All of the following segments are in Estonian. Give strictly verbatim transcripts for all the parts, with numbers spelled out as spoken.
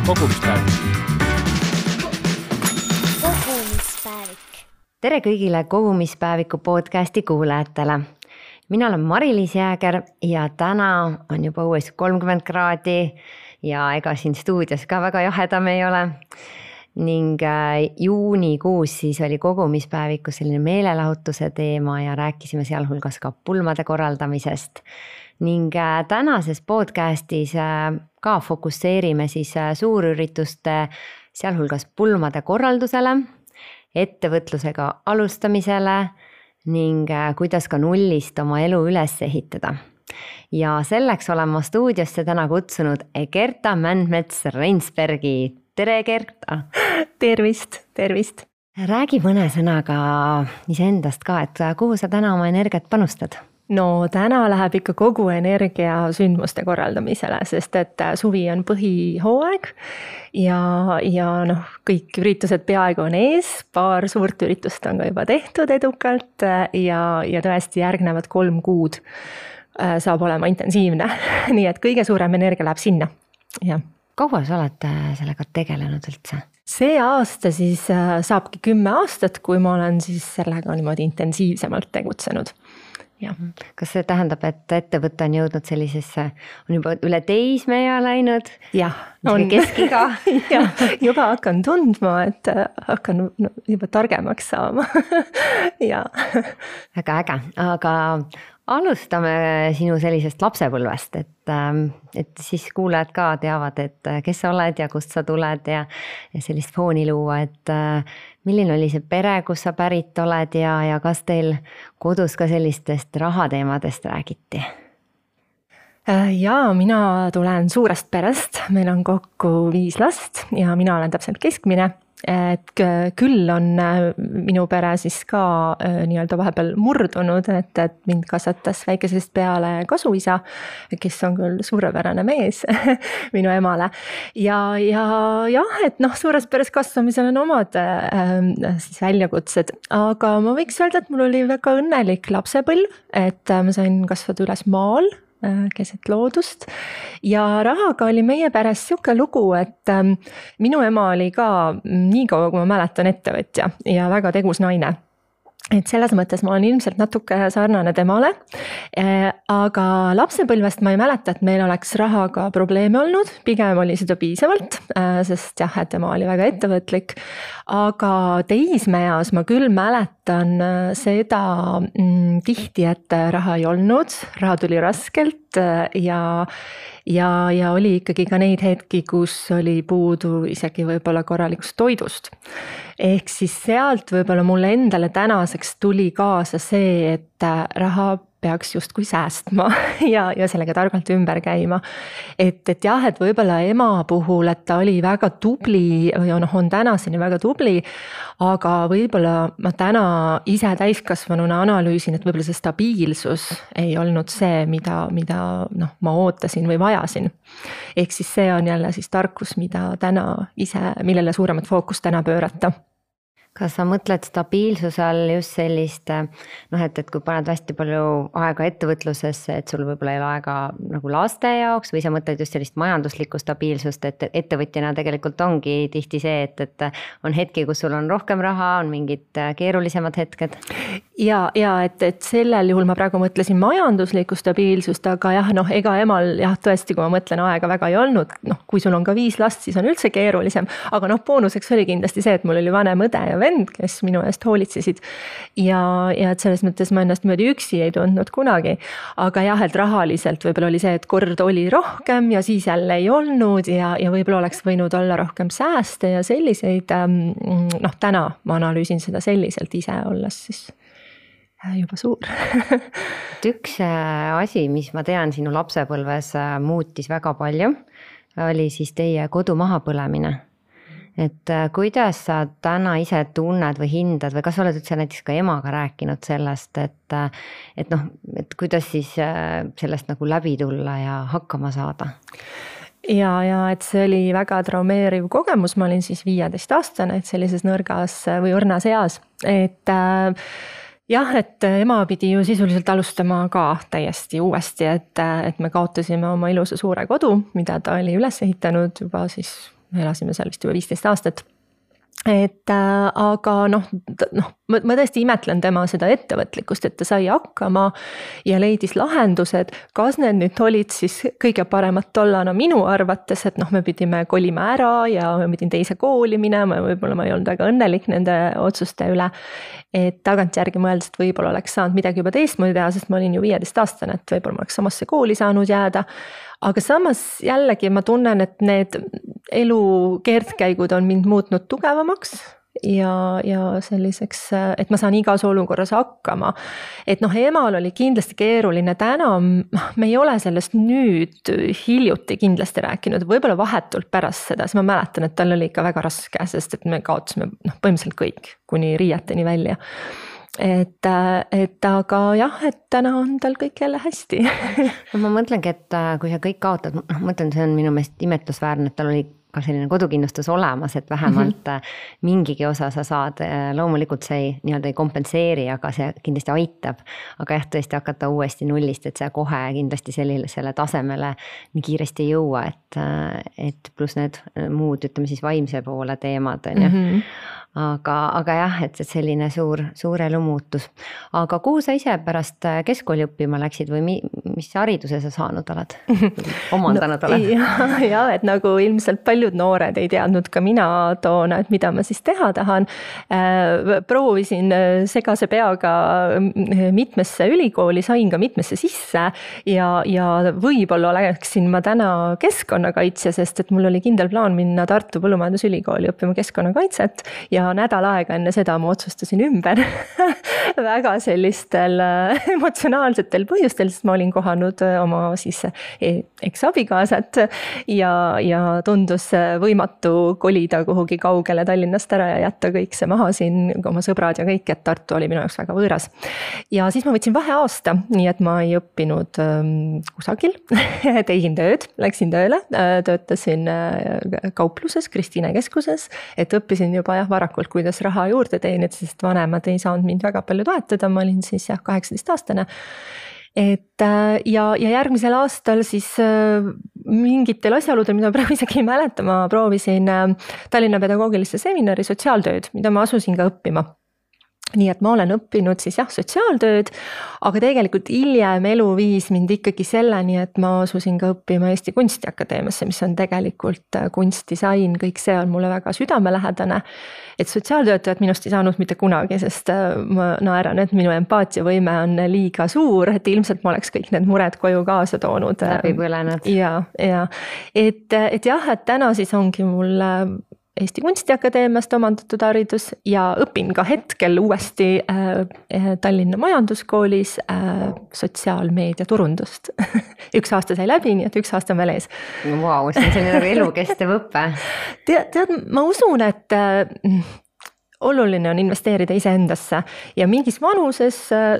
kogumispäevik. kogumispäevik. Tere kõigile kogumispäeviku podcasti kuulajatele. Mina olen Mari-Liis Jääger ja täna on juba uuesti kolmkümmend kraadi ja ega siin stuudios ka väga jahedam ei ole. Ning juunikuus siis oli kogumispäevikus selline meelelahutuse teema ja rääkisime sealhulgas ka pulmade korraldamisest. Ning tänases podcastis ka fokusseerime siis suurürituste sealhulgas pulmade korraldusele, ettevõtlusega alustamisele ning kuidas ka nullist oma elu üles ehitada. Ja selleks olen ma stuudiosse täna kutsunud Gerta Mändmets-Reinsbergi. Tere Gerta! Tervist, tervist! Räägi mõne sõnaga iseendast ka, et kuhu sa täna oma energiat panustad? No täna läheb ikka kogu energia sündmuste korraldamisele, sest et suvi on põhihooaeg ja, ja noh, kõik üritused peaaegu on ees, paar suurt üritust on ka juba tehtud edukalt ja, ja tõesti järgnevad kolm kuud saab olema intensiivne, nii et kõige suurem energia läheb sinna. Ja. Kaua sa oled sellega tegelenud üldse? See aasta siis saabki kümme aastat, kui ma olen siis sellega niimoodi intensiivsemalt tegutsenud. Ja. Kas see tähendab, et ettevõte on jõudnud sellisesse, on juba üle teismea läinud? Jah, on keskiga. Ja, juba hakkan tundma, et hakkan juba targemaks saama. Ja. Väga äge, aga alustame sinu sellisest lapsepõlvest, et, et siis kuulajad ka teavad, et kes sa oled ja kust sa tuled ja, ja sellist fooni luua, et milline oli see pere, kus sa pärit oled ja, ja kas teil kodus ka sellistest rahateemadest räägiti? Ja mina tulen suurest perest, meil on kokku viis last ja mina olen täpselt keskmine. Et küll on minu pere siis ka nii-öelda vahepeal murdunud, et, et mind kasvatas väikesest peale kasuisa, kes on küll suurepärane mees minu emale. Ja, ja jah, et noh, suures peres kasvamisel on omad äh, siis väljakutsed, aga ma võiks öelda, et mul oli väga õnnelik lapsepõlv, et ma sain kasvada üles maal, keset loodust ja rahaga oli meie peres siuke lugu, et minu ema oli ka nii kaua, kui ma mäletan, ettevõtja ja väga tegus naine. Et selles mõttes ma olen ilmselt natuke sarnane temale, aga lapsepõlvest ma ei mäleta, et meil oleks rahaga probleeme olnud, pigem oli seda piisavalt, sest jah, et tema oli väga ettevõtlik, aga teismeas ma küll mäletan seda mm, tihti, et raha ei olnud, raha tuli raskelt ja, ja, ja oli ikkagi ka neid hetki, kus oli puudu isegi võib-olla korralikust toidust. Ehk siis sealt võib-olla mulle endale tänaseks tuli kaasa see, et raha peaks justkui säästma ja, ja sellega targalt ümber käima. Et, et jah, et võib-olla ema puhul, et ta oli väga tubli ja noh, on tänaseni väga tubli, aga võib-olla ma täna ise täiskasvanuna analüüsin, et võib-olla see stabiilsus ei olnud see, mida, mida noh, ma ootasin või vajasin. Ehk siis see on jälle siis tarkus, mida täna ise, millele suuremat fookust täna pöörata. Kas sa mõtled stabiilsuse all just sellist, noh, et, et kui paned hästi palju aega ettevõtlusesse, et sul võib-olla ei ole aega nagu laste jaoks või sa mõtled just sellist majanduslikku stabiilsust, et ettevõtjana tegelikult ongi tihti see, et, et on hetki, kus sul on rohkem raha, on mingid keerulisemad hetked? Ja, ja et, et sellel juhul ma praegu mõtlesin majanduslikku stabiilsust, aga jah, noh, ega emal jah, tõesti, kui ma mõtlen aega väga ei olnud, noh, kui sul on ka viis last, siis on üldse keerulisem, aga noh, boonuseks oli kindlasti see, et mul oli vanem õde ja vend, kes minu eest hoolitsesid ja, ja et selles mõttes ma ennast möödi üksi ei tundnud kunagi, aga jah, et rahaliselt võib-olla oli see, et kord oli rohkem ja siis jälle ei olnud ja, ja võib-olla oleks võinud olla rohkem sääste ja selliseid, noh, täna ma analüüsin seda selliselt ise olles siis juba suur. Üks asi, mis ma tean sinu lapsepõlves muutis väga palju, oli siis teie kodu mahapõlemine. Et kuidas sa täna ise tunned või hindad või kas sa oled üldse näiteks ka emaga rääkinud sellest, et, et noh, et kuidas siis sellest nagu läbi tulla ja hakkama saada? Ja, ja et see oli väga traumeeriv kogemus, ma olin siis viieteist aastane, et sellises nõrgas või õrnas eas, et jah, et ema pidi ju sisuliselt alustama ka täiesti uuesti, et, et me kaotasime oma ilusa suure kodu, mida ta oli üles ehitanud juba siis me elasime seal vist juba viisteist aastat. Et äh, aga noh, noh, ma, ma tõesti imetlen tema seda ettevõtlikkust, et ta sai hakkama ja leidis lahendused, kas need nüüd olid siis kõige paremad tollana minu arvates, et noh, me pidime kolima ära ja me pidin teise kooli minema ja võib-olla ma ei olnud väga õnnelik nende otsuste üle. Et tagantjärgi mõeldes, et võib-olla oleks saanud midagi juba teistmoodi teha, sest ma olin ju viieteist aastane, et võib-olla ma oleks samasse kooli saanud jääda. Aga samas jällegi ma tunnen, et need elu keerdkäigud on mind muutnud tugevamaks ja, ja selliseks, et ma saan igas olukorras hakkama. Et noh, emal oli kindlasti keeruline täna, me ei ole sellest nüüd hiljuti kindlasti rääkinud, võib-olla vahetult pärast seda, siis ma mäletan, et tal oli ikka väga raske, sest et me kaotasime noh, põhimõtteliselt kõik, kuni riieteni välja. Et, et aga jah, et täna on tal kõik jälle hästi. No ma mõtlengi, et kui sa kõik kaotad, noh, mõtlen, see on minu meelest imetlusväärne, et tal oli ka selline kodukindlustus olemas, et vähemalt mm-hmm. mingigi osa sa saad, loomulikult see ei, nii-öelda ei kompenseeri, aga see kindlasti aitab. Aga jah, tõesti hakata uuesti nullist, et see kohe kindlasti sellele, selle tasemele nii kiiresti ei jõua, et, et pluss need muud, ütleme siis vaimse poole teemad on ju. Mm-hmm. Aga, aga jah, et selline suur, suur elumuutus. Aga kuhu sa ise pärast keskkooli õppima läksid või mis hariduse sa saanud oled? Omandanud no, oled? Ja, ja, et nagu ilmselt paljud noored ei teadnud ka mina toona, et mida ma siis teha tahan. Proovisin segase peaga mitmesse ülikooli, sain ka mitmesse sisse ja, ja võib-olla oleksin ma täna keskkonnakaitsja, sest et mul oli kindel plaan minna Tartu Põllumajandusülikooli õppima keskkonnakaitset ja nädal aega enne seda ma otsustasin ümber väga sellistel emotsionaalsetel põhjustel, sest ma olin kohanud oma siis eks-abikaasat ja, ja tundus võimatu kolida kuhugi kaugele Tallinnast ära ja jätta kõik see maha siin, oma sõbrad ja kõik, et Tartu oli minu jaoks väga võõras. Ja siis ma võtsin vaheaasta, nii et ma ei õppinud kusagil, tegin tööd, läksin tööle, töötasin kaupluses, Kristiine keskuses, et õppisin juba jah, varakult, kuidas raha juurde teenida, sest vanemad ei saanud mind väga palju toetada, ma olin siis jah, kaheksateist aastane. Et ja, ja järgmisel aastal siis mingitel asjaoludel, mida praegu isegi ei mäleta, ma proovisin Tallinna pedagoogilisse seminari sotsiaaltööd, mida ma asusin ka õppima. Nii et ma olen õppinud siis jah, sotsiaaltööd, aga tegelikult hiljem elu viis mind ikkagi selleni, et ma asusin ka õppima Eesti Kunstiakadeemiasse, mis on tegelikult kunstdisain, kõik see on mulle väga südamelähedane. Et sotsiaaltöötajad minust ei saanud mitte kunagi, sest ma naeran, et minu empaatiavõime on liiga suur, et ilmselt ma oleks kõik need mured koju kaasa toonud. Läbi põlenud. Ja, ja. Et, et jah, et täna siis ongi mul Eesti Kunstiakadeemiast omandatud haridus ja õpin ka hetkel uuesti äh, Tallinna Majanduskoolis äh, sotsiaalmeedia turundust. üks aasta sai läbi, nii et üks aasta on veel ees. Vau, see on selline elukestev õppe. Tead, tead, ma usun, et äh, oluline on investeerida iseendasse ja mingis vanuses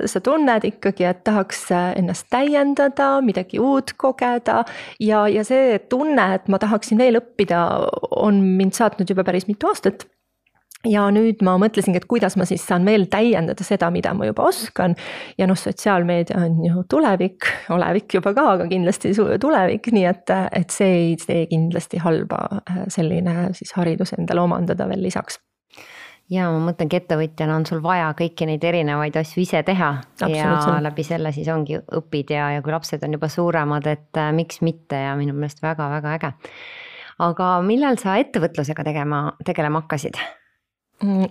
sa tunned ikkagi, et tahaks ennast täiendada, midagi uut kogeda ja, ja see tunne, et ma tahaksin veel õppida, on mind saatnud juba päris mitu aastat. Ja nüüd ma mõtlesin, et kuidas ma siis saan veel täiendada seda, mida ma juba oskan ja noh, sotsiaalmeedia on ju tulevik, olevik juba ka, aga kindlasti tulevik, nii et, et see ei tee kindlasti halba selline siis haridus endale omandada veel lisaks. Ja ma mõtlengi ettevõtjana on sul vaja kõiki neid erinevaid asju ise teha ja läbi selle siis ongi õpid ja, ja kui lapsed on juba suuremad, et miks mitte ja minu meelest väga-väga äge. Aga millal sa ettevõtlusega tegema, tegelema hakkasid?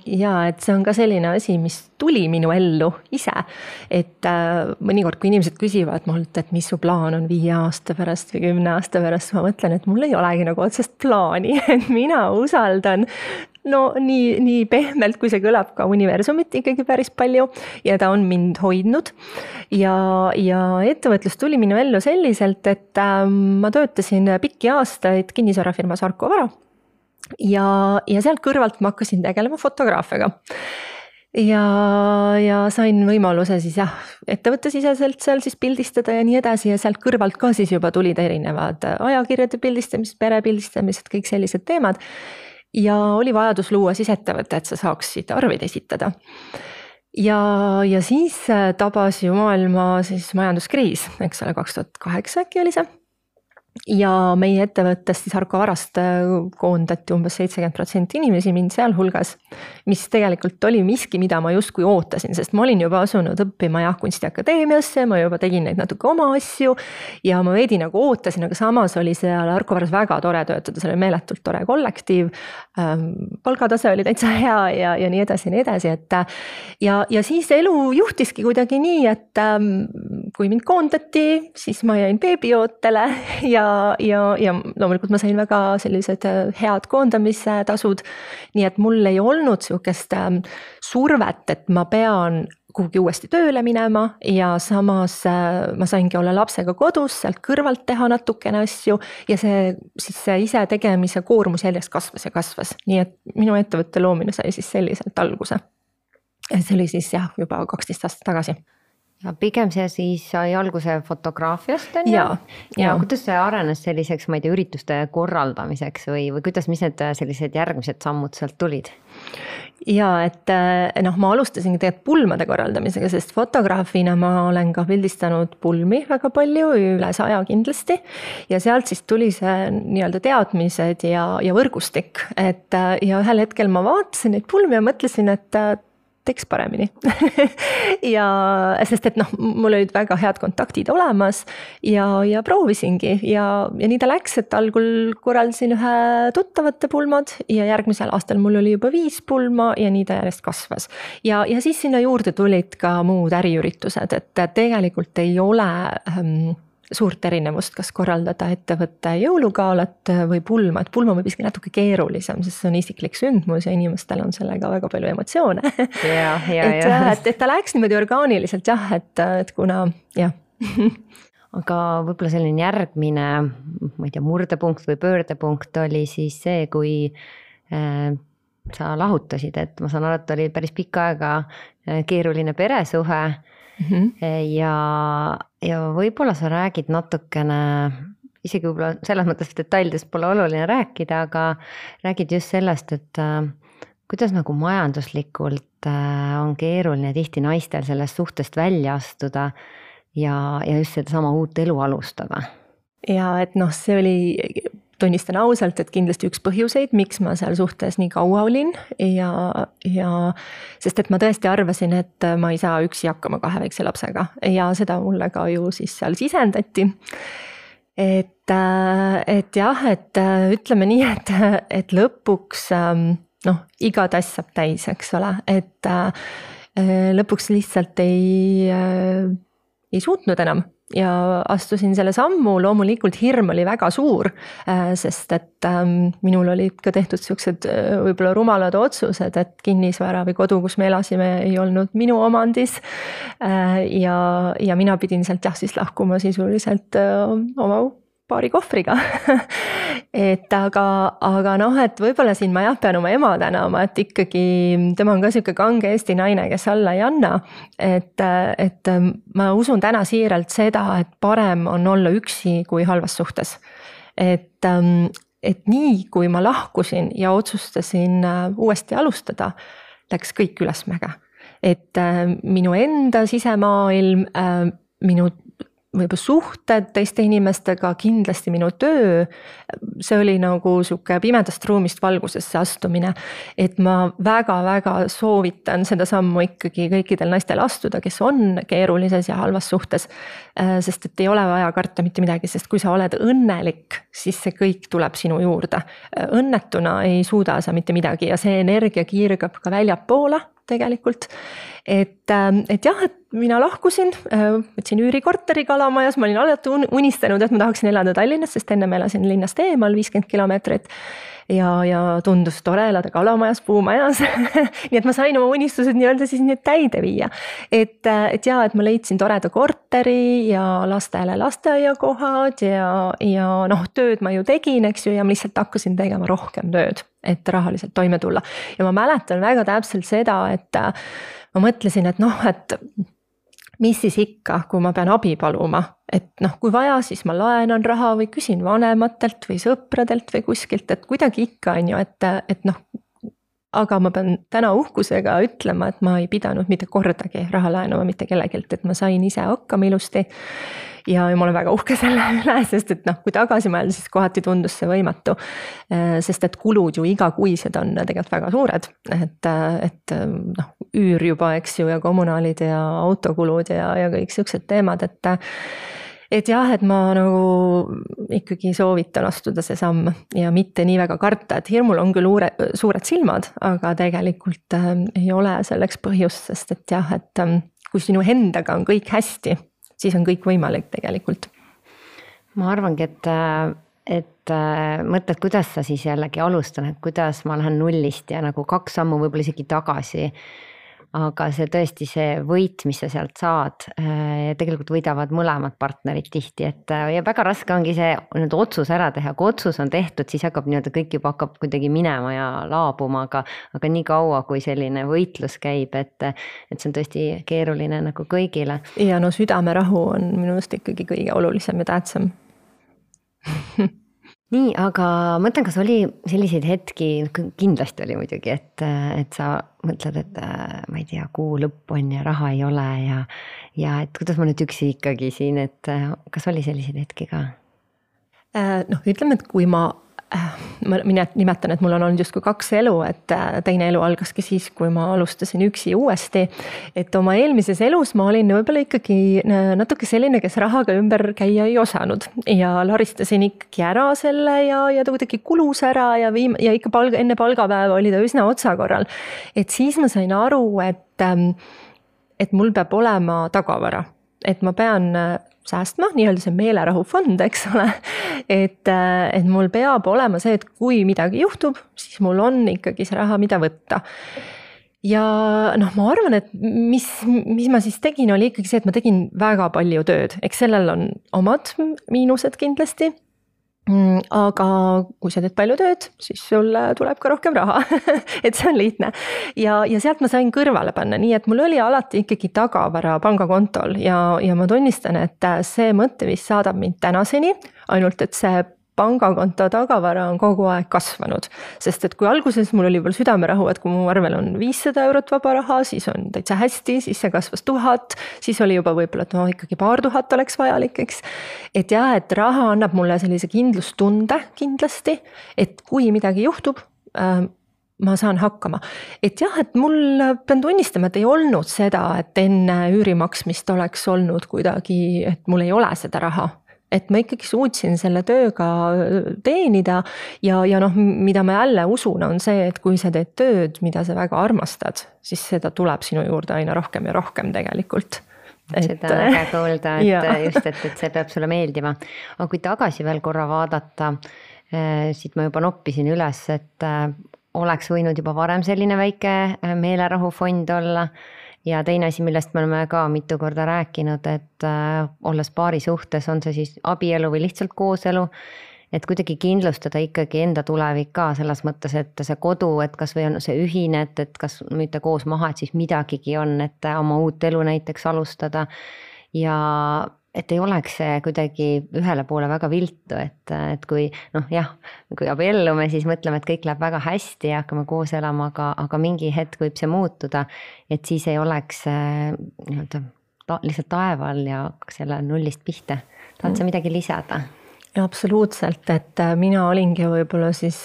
Ja, et see on ka selline asi, mis tuli minu ellu ise, et äh, mõnikord, kui inimesed küsivad mult, et mis su plaan on viie aasta pärast või kümne aasta pärast, ma mõtlen, et mul ei olegi nagu otsest plaani, et mina usaldan no nii, nii pehmelt, kui see kõlab ka universumit ikkagi päris palju ja ta on mind hoidnud ja, ja ettevõtlus tuli minu ellu selliselt, et äh, ma töötasin pikki aastaid kinnisvarafirmas Arko Vara ja, ja sealt kõrvalt ma hakkasin tegelema fotograafiaga. Ja, ja sain võimaluse siis jah, ettevõttesiseselt seal siis pildistada ja nii edasi ja sealt kõrvalt ka siis juba tulid erinevad ajakirjade pildistamised, perepildistamised, kõik sellised teemad. Ja oli vajadus luua siis ettevõtte, et sa saaksid arveid esitada. Ja, ja siis tabas ju maailma siis majanduskriis, eks ole, kaks tuhat kaheksa äkki oli see. ja meie ettevõttest siis Arko Varast koondati umbes seitsekümmend protsenti inimesi, mind sealhulgas, mis tegelikult oli miski, mida ma justkui ootasin, sest ma olin juba asunud õppima jah kunstiakadeemiasse, ma juba tegin neid natuke oma asju ja ma veidi nagu ootasin, aga samas oli seal Arko Varas väga tore töötada, see oli meeletult tore kollektiiv, palgatase oli täitsa hea ja, ja nii edasi ja nii edasi, et ja, ja siis elu juhtiski kuidagi nii, et kui mind koondati, siis ma jäin beebiootele ja ja, ja loomulikult ma sain väga sellised head koondamise tasud, nii et mul ei olnud sihukest survet, et ma pean kuhugi uuesti tööle minema ja samas ma saingi olla lapsega kodus, sealt kõrvalt teha natukene asju ja see, siis see ise tegemise koormus järjest kasvas ja kasvas, nii et minu ettevõtte loomine sai siis selliselt alguse. See oli siis jah, juba kaksteist aastat tagasi. Ja pigem see siis sai alguse fotograafiast on ja, ja, ja kuidas see arenes selliseks, ma ei tea, ürituste korraldamiseks või, või kuidas, mis need sellised järgmised sammud sealt tulid? Ja, et noh, ma alustasingi tegelikult pulmade korraldamisega, sest fotograafina ma olen ka pildistanud pulmi väga palju, üle saja kindlasti ja sealt siis tuli see nii-öelda teadmised ja, ja võrgustik, et ja ühel hetkel ma vaatasin neid pulmi ja mõtlesin, et teeks paremini ja sest, et noh, mul olid väga head kontaktid olemas ja, ja proovisingi ja, ja nii ta läks, et algul korraldasin ühe tuttavate pulmad ja järgmisel aastal mul oli juba viis pulma ja nii ta järjest kasvas. Ja, ja siis sinna juurde tulid ka muud äriüritused, et tegelikult ei ole ähm, suurt erinevust, kas korraldada ettevõtte jõulugaalat või pulma, et pulma võib isegi natuke keerulisem, sest see on isiklik sündmus ja inimestel on sellega väga palju emotsioone. Ja, ja, et, ja. et, et ta läks niimoodi orgaaniliselt jah, et, et kuna jah. Aga võib-olla selline järgmine, ma ei tea, murdepunkt või pöördepunkt oli siis see, kui äh, sa lahutasid, et ma saan aru, et oli päris pikka aega keeruline peresuhe. Mm-hmm. ja, ja võib-olla sa räägid natukene, isegi võib-olla selles mõttes detailidest pole oluline rääkida, aga räägid just sellest, et äh, kuidas nagu majanduslikult äh, on keeruline tihti naistel sellest suhtest välja astuda ja, ja just seda sama uut elu alustada. Ja et noh, see oli, tunnistan ausalt, et kindlasti üks põhjuseid, miks ma seal suhtes nii kaua olin ja, ja sest et ma tõesti arvasin, et ma ei saa üksi hakkama kahe väikse lapsega ja seda mulle ka ju siis seal sisendati. Et, et jah, et ütleme nii, et, et lõpuks noh, iga tass saab täis, eks ole, et lõpuks lihtsalt ei, ei suutnud enam. Ja astusin selle sammu, loomulikult hirm oli väga suur, sest et minul olid ka tehtud siuksed võib-olla rumalad otsused, et kinnisvara või kodu, kus me elasime, ei olnud minu omandis. Ja, ja mina pidin sealt jah siis lahkuma sisuliselt oma paari kohvriga. et aga, aga noh, et võib-olla siin ma jah pean oma ema tänama, et ikkagi tema on ka siuke kange Eesti naine, kes alla ei anna. Et, et ma usun täna siiralt seda, et parem on olla üksi kui halvas suhtes. Et, et nii kui ma lahkusin ja otsustasin uuesti alustada, läks kõik ülesmäge. Et minu enda sisemaailm, minu võib-olla suhted teiste inimestega, kindlasti minu töö, see oli nagu siuke pimedast ruumist valgusesse astumine, et ma väga-väga soovitan seda sammu ikkagi kõikidel naistel astuda, kes on keerulises ja halvas suhtes, sest et ei ole vaja karta mitte midagi, sest kui sa oled õnnelik, siis see kõik tuleb sinu juurde. Õnnetuna ei suuda sa mitte midagi ja see energia kiirgab ka väljapoole tegelikult, et, et jah, et mina lahkusin, võtsin üürikorteri Kalamajas, ma olin alati unistanud, et ma tahaksin elada Tallinnas, sest enne ma elasin linnast eemal viiskümmend kilomeetrit ja, ja tundus tore elada Kalamajas, puumajas. nii et ma sain oma unistused nii-öelda siis nüüd täide viia. Et, et jah, et ma leidsin toreda korteri ja lastele lasteaiakohad ja, ja noh, tööd ma ju tegin, eks ju, ja ma lihtsalt hakkasin tegema rohkem tööd, et rahaliselt toime tulla. Ja ma mäletan väga täpselt seda, et ma mõtlesin, et noh, et mis siis ikka, kui ma pean abi paluma, et noh, kui vaja, siis ma laenan raha või küsin vanematelt või sõpradelt või kuskilt, et kuidagi ikka on ju, et, et noh, aga ma pean täna uhkusega ütlema, et ma ei pidanud mitte kordagi raha laenama mitte kellegilt, et ma sain ise hakkama ilusti. ja ma olen väga uhke selle üle, sest et noh, kui tagasi mõelda, siis kohati tundus see võimatu. Sest et kulud ju igakuised on tegelikult väga suured, et, et noh, üür juba, eks ju, ja kommunaalid ja autokulud ja, ja kõik siuksed teemad, et et jah, et ma nagu ikkagi soovitan astuda see samm ja mitte nii väga karta, et hirmul on küll uure, suured silmad, aga tegelikult äh, ei ole selleks põhjust, sest et jah, et äh, kui sinu endaga on kõik hästi, siis on kõik võimalik tegelikult. Ma arvangi, et, et äh, mõtled, kuidas sa siis jällegi alustan, et kuidas ma lähen nullist ja nagu kaks sammu võib-olla isegi tagasi. Aga see tõesti see võit, mis sa sealt saad, tegelikult võidavad mõlemad partnerid tihti, et ja väga raske ongi see nüüd otsus ära teha, kui otsus on tehtud, siis hakkab nii-öelda kõik juba hakkab kuidagi minema ja laabuma, aga, aga nii kaua, kui selline võitlus käib, et, et see on tõesti keeruline nagu kõigile. Ja no südamerahu on minu arust ikkagi kõige olulisem ja tähtsam. Nii, aga mõtlen, kas oli selliseid hetki, kindlasti oli muidugi, et, et sa mõtled, et ma ei tea, kuu lõpp on ja raha ei ole ja, ja et kuidas ma nüüd üksi ikkagi siin, et kas oli selliseid hetki ka? Noh, ütleme, et kui ma ma nimetan, et mul on olnud justkui kaks elu, et teine elu algaski siis, kui ma alustasin üksi uuesti, et oma eelmises elus ma olin võib-olla ikkagi natuke selline, kes rahaga ümber käia ei osanud ja laristasin ikkagi ära selle ja, ja ta kuidagi kulus ära ja, viim, ja ikka palga, enne palgapäeva oli ta üsna otsakorral. Et siis ma sain aru, et, et mul peab olema tagavara, et ma pean säästma, nii-öelda see meelerahufond, eks ole, et, et mul peab olema see, et kui midagi juhtub, siis mul on ikkagi see raha, mida võtta. Ja noh, ma arvan, et mis, mis ma siis tegin, oli ikkagi see, et ma tegin väga palju tööd, eks sellel on omad miinused kindlasti, aga kui sa teed palju tööd, siis sul tuleb ka rohkem raha, et see on lihtne. Ja, ja sealt ma sain kõrvale panna, nii et mul oli alati ikkagi tagavara pangakontol ja, ja ma tunnistan, et see mõtteviis saadab mind tänaseni, ainult et see pangakonto tagavara on kogu aeg kasvanud, sest et kui alguses mul oli veel südamerahu, et kui mu arvel on viissada eurot vaba raha, siis on täitsa hästi, siis see kasvas tuhat, siis oli juba võib-olla, et no ikkagi paar tuhat oleks vajalik, eks. Et jah, et raha annab mulle sellise kindlustunde kindlasti, et kui midagi juhtub, äh, ma saan hakkama. Et jah, et mul pean tunnistama, et ei olnud seda, et enne üürimaksmist oleks olnud kuidagi, et mul ei ole seda raha. Et ma ikkagi suutsin selle tööga teenida ja, ja noh, mida ma jälle usun, on see, et kui sa teed tööd, mida sa väga armastad, siis seda tuleb sinu juurde aina rohkem ja rohkem tegelikult. Et, seda on väga kuulda, et ja. just, et, et see peab sulle meeldima. Aga kui tagasi veel korra vaadata, siit ma juba noppisin üles, et oleks võinud juba varem selline väike meelerahufond olla. Ja teine asi, millest me oleme ka mitu korda rääkinud, et äh, olles paari suhtes, on see siis abielu või lihtsalt kooselu, et kuidagi kindlustada ikkagi enda tulevik ka selles mõttes, et see kodu, et kas või on see ühine, et, et kas müüte koos maha, et siis midagigi on, et oma uut elu näiteks alustada ja et ei oleks see kuidagi ühele poole väga viltu, et, et kui noh jah, kui abiellume, siis mõtleme, et kõik läheb väga hästi ja hakkame koos elama, aga, aga mingi hetk võib see muutuda, et siis ei oleks nii-öelda ta, lihtsalt taeval ja selle nullist pihta. Tahad sa midagi lisada? Ja absoluutselt, et mina olingi võib-olla siis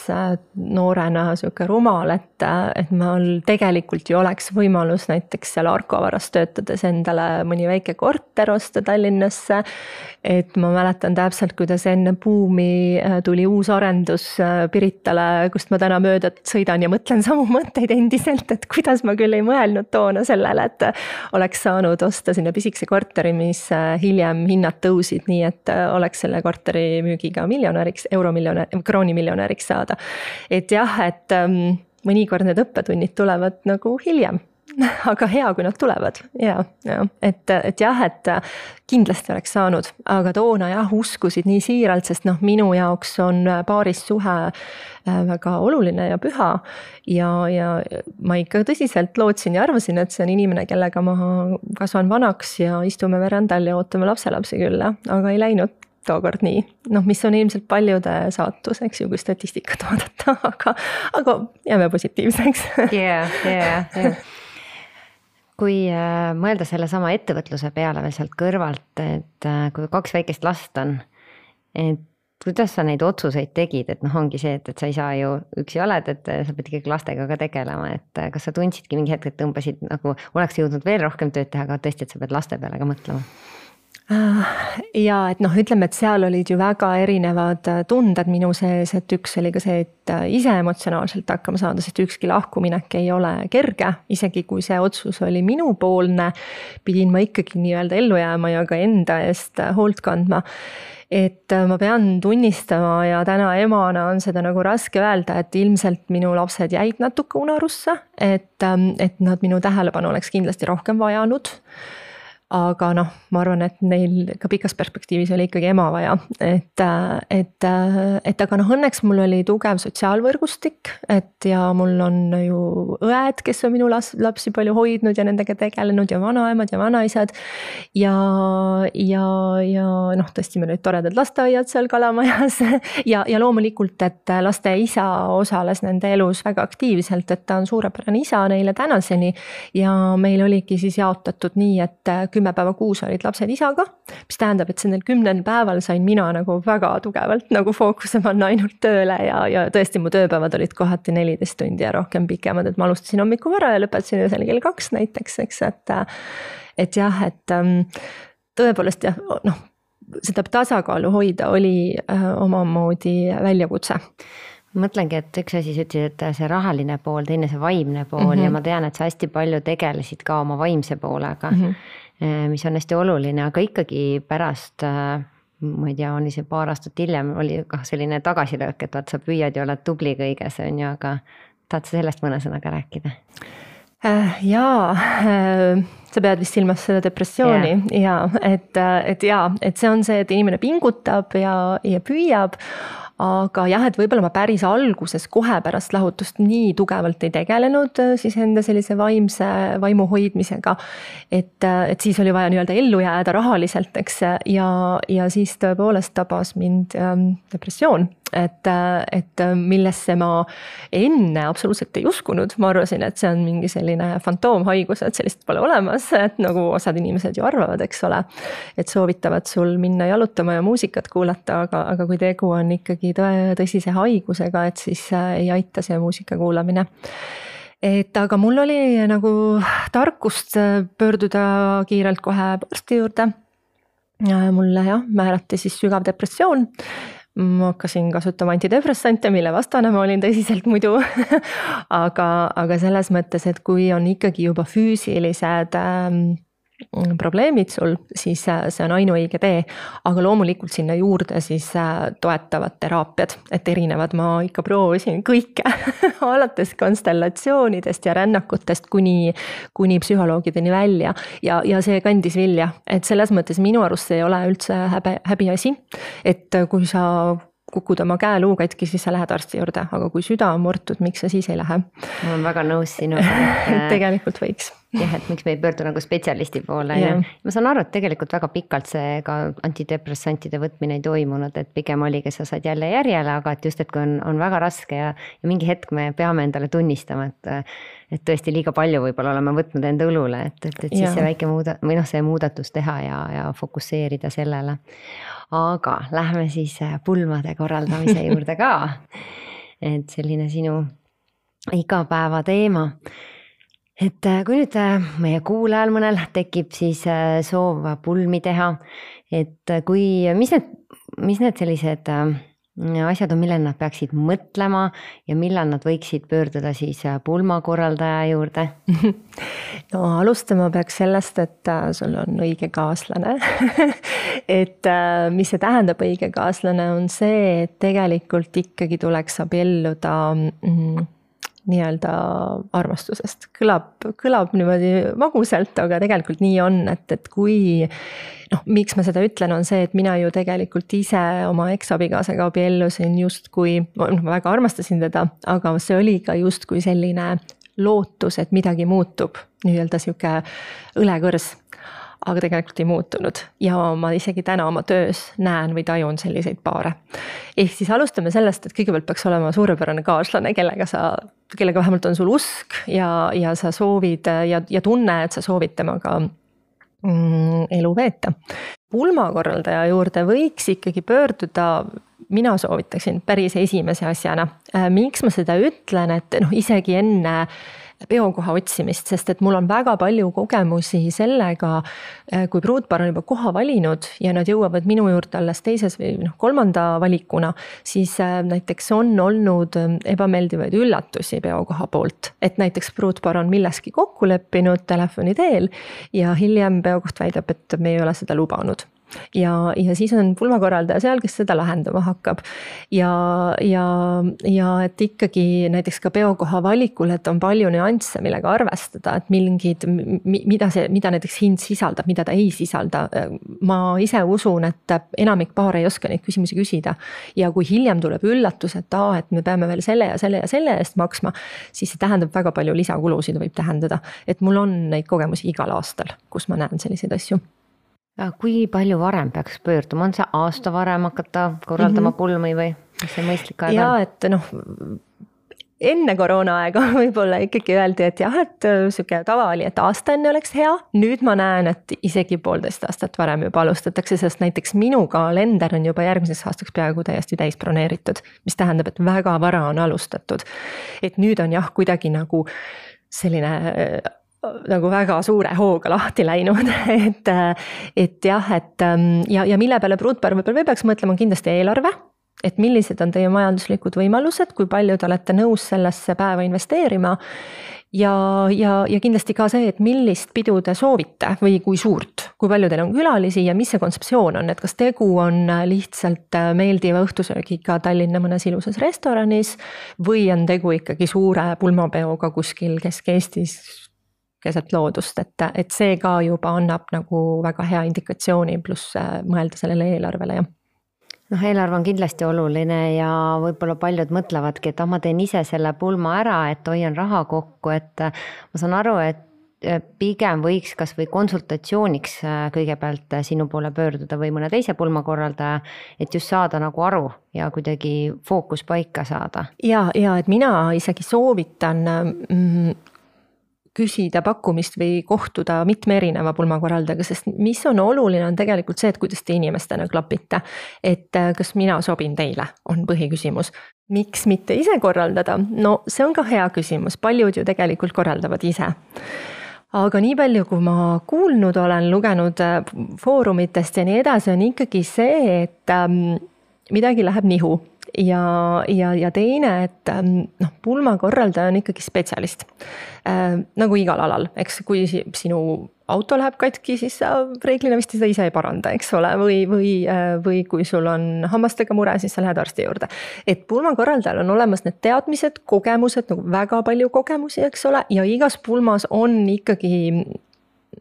noorena siuke rumal, et, et mul tegelikult ju oleks võimalus näiteks seal Arko varas töötades endale mõni väike korter osta Tallinnasse. Et ma mäletan täpselt, kuidas enne buumi tuli uus arendus Piritale, kust ma täna mööda sõidan ja mõtlen samu mõtteid endiselt, et kuidas ma küll ei mõelnud toona sellele, et oleks saanud osta sinna pisikese korteri, mis hiljem hinnad tõusid, nii et oleks selle korteri müügiga miljonäriks, euromiljonär, kroonimiljonäriks saada. Et jah, et um, mõnikord need õppetunnid tulevad nagu hiljem, aga hea, kui nad tulevad. Ja, ja. Et, et jah, et kindlasti oleks saanud, aga toona jah, uskusid nii siiralt, sest noh, minu jaoks on paaris suhe väga oluline ja püha ja, ja ma ikka tõsiselt lootsin ja arvasin, et see on inimene, kellega ma kasvan vanaks ja istume verandal ja ootame lapselapsi küll, aga ei läinud tookord nii. Noh, mis on ilmselt paljude saatus, eks ju, kui statistikat vaadata, aga, aga jääme positiivseks. Yeah, yeah, yeah. kui mõelda selle sama ettevõtluse peale veel sealt kõrvalt, et kui kaks väikest last on, et kuidas sa neid otsuseid tegid, et noh, ongi see, et, et sa ei saa ju üksi oled, et sa pead ikkagi lastega ka tegelema, et kas sa tundsidki mingi hetk, et tõmbasid nagu, oleks jõudnud veel rohkem tööd teha, aga tõesti, et sa pead laste peale ka mõtlema? Ja et noh, ütleme, et seal olid ju väga erinevad tunded minu sees, et üks oli ka see, et ise emotsionaalselt hakkama saada, sest ükski lahkuminek ei ole kerge, isegi kui see otsus oli minupoolne, pidin ma ikkagi nii-öelda ellu jääma ja ka enda eest hoolt kandma. Et ma pean tunnistama ja täna emana on seda nagu raske öelda, et ilmselt minu lapsed jäid natuke unarusse, et, et nad minu tähelepanu oleks kindlasti rohkem vajanud. Aga noh, ma arvan, et neil ka pikas perspektiivis oli ikkagi ema vaja, et, et, et aga noh, õnneks mul oli tugev sotsiaalvõrgustik, et ja mul on ju õed, kes on minu lapsi palju hoidnud ja nendega tegelenud ja vanaemad ja vanaisad ja, ja, ja noh, tõesti meil olid toredad lasteaiad seal Kalamajas ja, ja loomulikult, et laste isa osales nende elus väga aktiivselt, et ta on suurepärane isa neile tänaseni ja meil oligi siis jaotatud nii, et kümme päeva kuus olid lapsed isaga, mis tähendab, et sellel kümnel päeval sain mina nagu väga tugevalt nagu fookuse panna ainult tööle ja, ja tõesti mu tööpäevad olid kohati neliteist tundi ja rohkem pikemad, et ma alustasin hommiku vara ja lõpetasin öösel kell kaks näiteks, eks, et, et jah, et tõepoolest jah, noh, seda tasakaalu hoida oli omamoodi väljakutse. Mõtlengi, et üks asi sa ütlesid, et see rahaline pool, teine see vaimne pool mm-hmm. ja ma tean, et sa hästi palju tegelesid ka oma vaimse poolega, mm-hmm. mis on hästi oluline, aga ikkagi pärast, ma ei tea, oli see paar aastat hiljem, oli kah selline tagasilöök, et vaat sa püüad ja oled tubli kõiges, on ju, aga tahad sa sellest mõne sõnaga rääkida? Jaa, sa pead vist silmas seda depressiooni ja, et, et jaa, et see on see, et inimene pingutab ja, ja püüab, aga jah, et võib-olla ma päris alguses kohe pärast lahutust nii tugevalt ei tegelenud siis enda sellise vaimse vaimu hoidmisega, et, et siis oli vaja nii-öelda ellu jääda rahaliselt, eks, ja, ja siis tõepoolest tabas mind depressioon, et, et millesse ma enne absoluutselt ei uskunud, ma arvasin, et see on mingi selline fantoomhaigus, et sellist pole olemas, et nagu osad inimesed ju arvavad, eks ole, et soovitavad sul minna jalutama ja muusikat kuulata, aga, aga kui tegu on ikkagi tõsise haigusega, et siis ei aita see muusika kuulamine. Et aga mul oli nagu tarkust pöörduda kiirelt kohe arsti juurde. Mulle jah, määrati siis sügav depressioon. Ma hakkasin kasutama antidepressante, mille vastane ma olin tõsiselt muidu. aga, aga selles mõttes, et kui on ikkagi juba füüsilised probleemid sul, siis see on ainuõige tee, aga loomulikult sinna juurde siis toetavad teraapiad, et erinevad ma ikka proovisin kõike, alates konstellatsioonidest ja rännakutest kuni, kuni psühholoogideni välja ja, ja see kandis vilja, et selles mõttes minu arust see ei ole üldse häbi, häbiasi, et kui sa kukud oma käeluu katki, siis sa lähed arsti juurde, aga kui süda on murtud, miks sa siis ei lähe? Ma olen väga nõus sinuga. Et tegelikult võiks. Jah, et miks me ei pöördu nagu spetsialisti poole. Ja ma saan aru, et tegelikult väga pikalt see ka antidepressantide võtmine ei toimunud, et pigem oli, kes sa saad jälle järjele, aga et just, et kui on, on väga raske ja, ja mingi hetk me peame endale tunnistama, et, et tõesti liiga palju võib-olla oleme võtnud enda õlule, et, et, et siis ja. see väike muuda, või noh, see muudatus teha ja, ja fokusseerida sellele. Aga lähme siis pulmade korraldamise juurde ka. Et selline sinu igapäeva teema. Et kui nüüd meie kuulajal mõnel tekib siis soov pulmi teha, et kui, mis need, mis need sellised asjad on, millel nad peaksid mõtlema ja millal nad võiksid pöörduda siis pulmakorraldaja juurde? No alustama peaks sellest, et sul on õige kaaslane. Et mis see tähendab õige kaaslane on see, et tegelikult ikkagi tuleks abielluda mm, nii-öelda armastusest. Kõlab, kõlab niimoodi magusalt, aga tegelikult nii on, et, et kui, noh, miks ma seda ütlen, on see, et mina ju tegelikult ise oma eks-abikaasaga abiellusin just kui, ma väga armastasin teda, aga see oli ka just kui selline lootus, et midagi muutub, nii-öelda siuke õlekõrs. aga tegelikult ei muutunud ja ma isegi täna oma töös näen või tajun selliseid paare. Ehk siis alustame sellest, et kõigepealt peaks olema suurepärane kaaslane, kellega sa, kellega vähemalt on sul usk ja, ja sa soovid ja, ja tunne, et sa soovid temaga mm, elu veeta. Pulmakorraldaja juurde võiks ikkagi pöörduda, mina soovitaksin päris esimese asjana. Miks ma seda ütlen, et noh, isegi enne peokoha otsimist, sest et mul on väga palju kogemusi sellega, kui pruutpaar on juba koha valinud ja nad jõuavad minu juurde alles teises või noh, kolmanda valikuna, siis näiteks on olnud ebameeldivaid üllatusi peokoha poolt. Et näiteks pruutpaar on milleski kokku leppinud telefoni teel ja hiljem peokoht väidab, et me ei ole seda lubanud. Ja, ja siis on pulmakorraldaja seal, kes seda lahendama hakkab. Ja, ja, ja et ikkagi näiteks ka peokoha valikul, et on palju nüansse, millega arvestada, et mingid, mida, see, mida näiteks hind sisaldab, mida ta ei sisalda. Ma ise usun, et enamik paare ei oska neid küsimusi küsida. Ja kui hiljem tuleb üllatus, et, aa, et me peame veel selle ja selle ja selle eest maksma, siis see tähendab väga palju lisakulusid võib tähendada. Et mul on neid kogemusi igal aastal, kus ma näen selliseid asju. Kui palju varem peaks pöörduma? On see aasta varem hakata korraldama mm-hmm. pulmi või mis see mõistlik aeg ja, on? Et noh, enne koroona aega võib-olla ikkagi öeldi, et jah, et siuke tava oli, et aasta enne oleks hea. Nüüd ma näen, et isegi poolteist aastat varem juba alustatakse, sest näiteks minu kalender on juba järgmiseks aastaks peaaegu täiesti täis broneeritud, mis tähendab, et väga vara on alustatud. Et nüüd on jah, kuidagi nagu selline nagu väga suure hooga lahti läinud, et, et jah, et ja, ja mille peale pruutpaar võib-olla peaks mõtlema kindlasti eelarve, et millised on teie majanduslikud võimalused, kui palju te olete nõus sellesse päeva investeerima ja, ja, ja kindlasti ka see, et millist pidu te soovite või kui suurt, kui palju teil on külalisi ja mis see kontseptsioon on, et kas tegu on lihtsalt meeldiva õhtusöögiga Tallinna mõnes ilusas restoranis või on tegu ikkagi suure pulmapeoga kuskil Kesk-Eestis keset loodust, et, et see ka juba annab nagu väga hea indikatsiooni pluss mõelda sellele eelarvele. Ja. noh, eelarve on kindlasti oluline ja võib-olla paljud mõtlevadki, et ah, ma teen ise selle pulma ära, et hoian raha kokku, et ma saan aru, et pigem võiks kas või konsultatsiooniks kõigepealt sinu poole pöörduda või mõne teise pulmakorraldaja, et just saada nagu aru ja kuidagi fookus paika saada. Ja, ja et mina isegi soovitan mm, küsida pakkumist või kohtuda mitme erineva pulmakorraldajaga, sest mis on oluline on tegelikult see, et kuidas te inimestena klapite. Et kas mina sobin teile, on põhiküsimus. Miks mitte ise korraldada? No see on ka hea küsimus, paljud ju tegelikult korraldavad ise. Aga nii palju, kui ma kuulnud olen, lugenud foorumitest ja nii edasi, on ikkagi see, et midagi läheb nihu. Ja, ja, ja teine, et noh, pulmakorraldaja on ikkagi spetsialist. Äh, nagu igal alal, eks kui sinu auto läheb katki, siis sa reeglina vist seda ise ei paranda, eks ole, või, või, või kui sul on hammastega mure, siis sa lähed arsti juurde. Et pulmakorraldajal on olemas need teadmised, kogemused, nagu väga palju kogemusi, eks ole, ja igas pulmas on ikkagi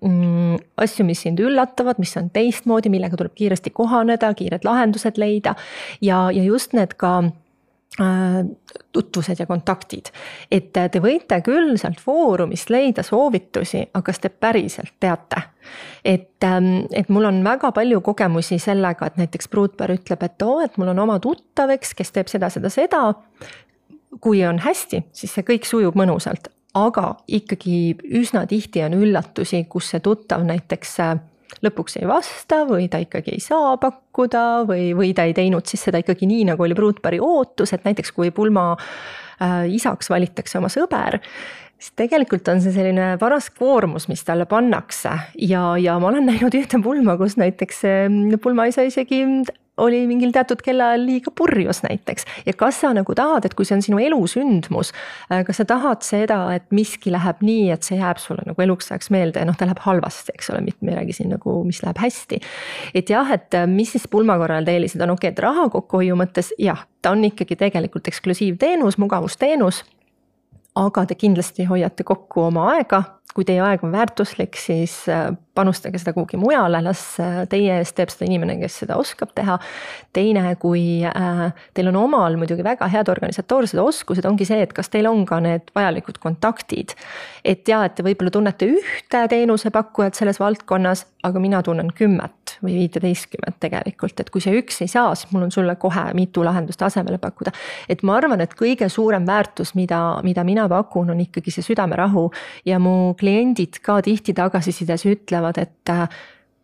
mm, asju, mis sind üllatavad, mis on teistmoodi, millega tuleb kiiresti kohaneda, kiired lahendused leida ja, ja just need ka äh, tutvused ja kontaktid. Et te võite küll sealt foorumist leida soovitusi, aga kas te päriselt teate? Et, et mul on väga palju kogemusi sellega, et näiteks pruutpaar ütleb, et oo, et mul on oma tuttaveks, kes teeb seda, seda, seda. Kui on hästi, siis see kõik sujub mõnusalt. Aga ikkagi üsna tihti on üllatusi, kus see tuttav näiteks lõpuks ei vasta või ta ikkagi ei saa pakkuda või, või ta ei teinud siis seda ikkagi nii, nagu oli pruutpaari ootus, et näiteks kui pulma äh, isaks valitakse oma sõber, siis tegelikult on see selline paras koormus, mis talle pannakse ja, ja ma olen näinud ühte pulma, kus näiteks pulma isa isegi oli mingil teatud kellaajal liiga purjus näiteks. Ja kas sa nagu tahad, et kui see on sinu elusündmus, kas sa tahad seda, et miski läheb nii, et see jääb sulle nagu eluks ajaks meelde ja noh, ta läheb halvasti, eks ole, mitte midagi siin nagu, mis läheb hästi. Et jah, et mis siis pulmakorral eelised on, okei, et raha kokkuhoiu mõttes, jah, ta on ikkagi tegelikult eksklusiivteenus, mugavusteenus. aga te kindlasti hoiate kokku oma aega. Kui teie aeg on väärtuslik, siis panustage seda kuhugi mujale, las teie eest teeb seda inimene, kes seda oskab teha. Teine, kui teil on omal muidugi väga head organisatoorsed oskused, ongi see, et kas teil on ka need vajalikud kontaktid. Et ja, et te võib-olla tunnete ühte teenusepakkujat selles valdkonnas, aga mina tunnen kümmet või viiteistkümmet tegelikult, et kui see üks ei saa, siis mul on sulle kohe mitu lahendust asemele pakkuda. Et ma arvan, et kõige suurem väärtus, mida, mida mina pakun, on ikkagi see südamerahu ja mu kliendid ka tihti tagasisides ütlevad, et,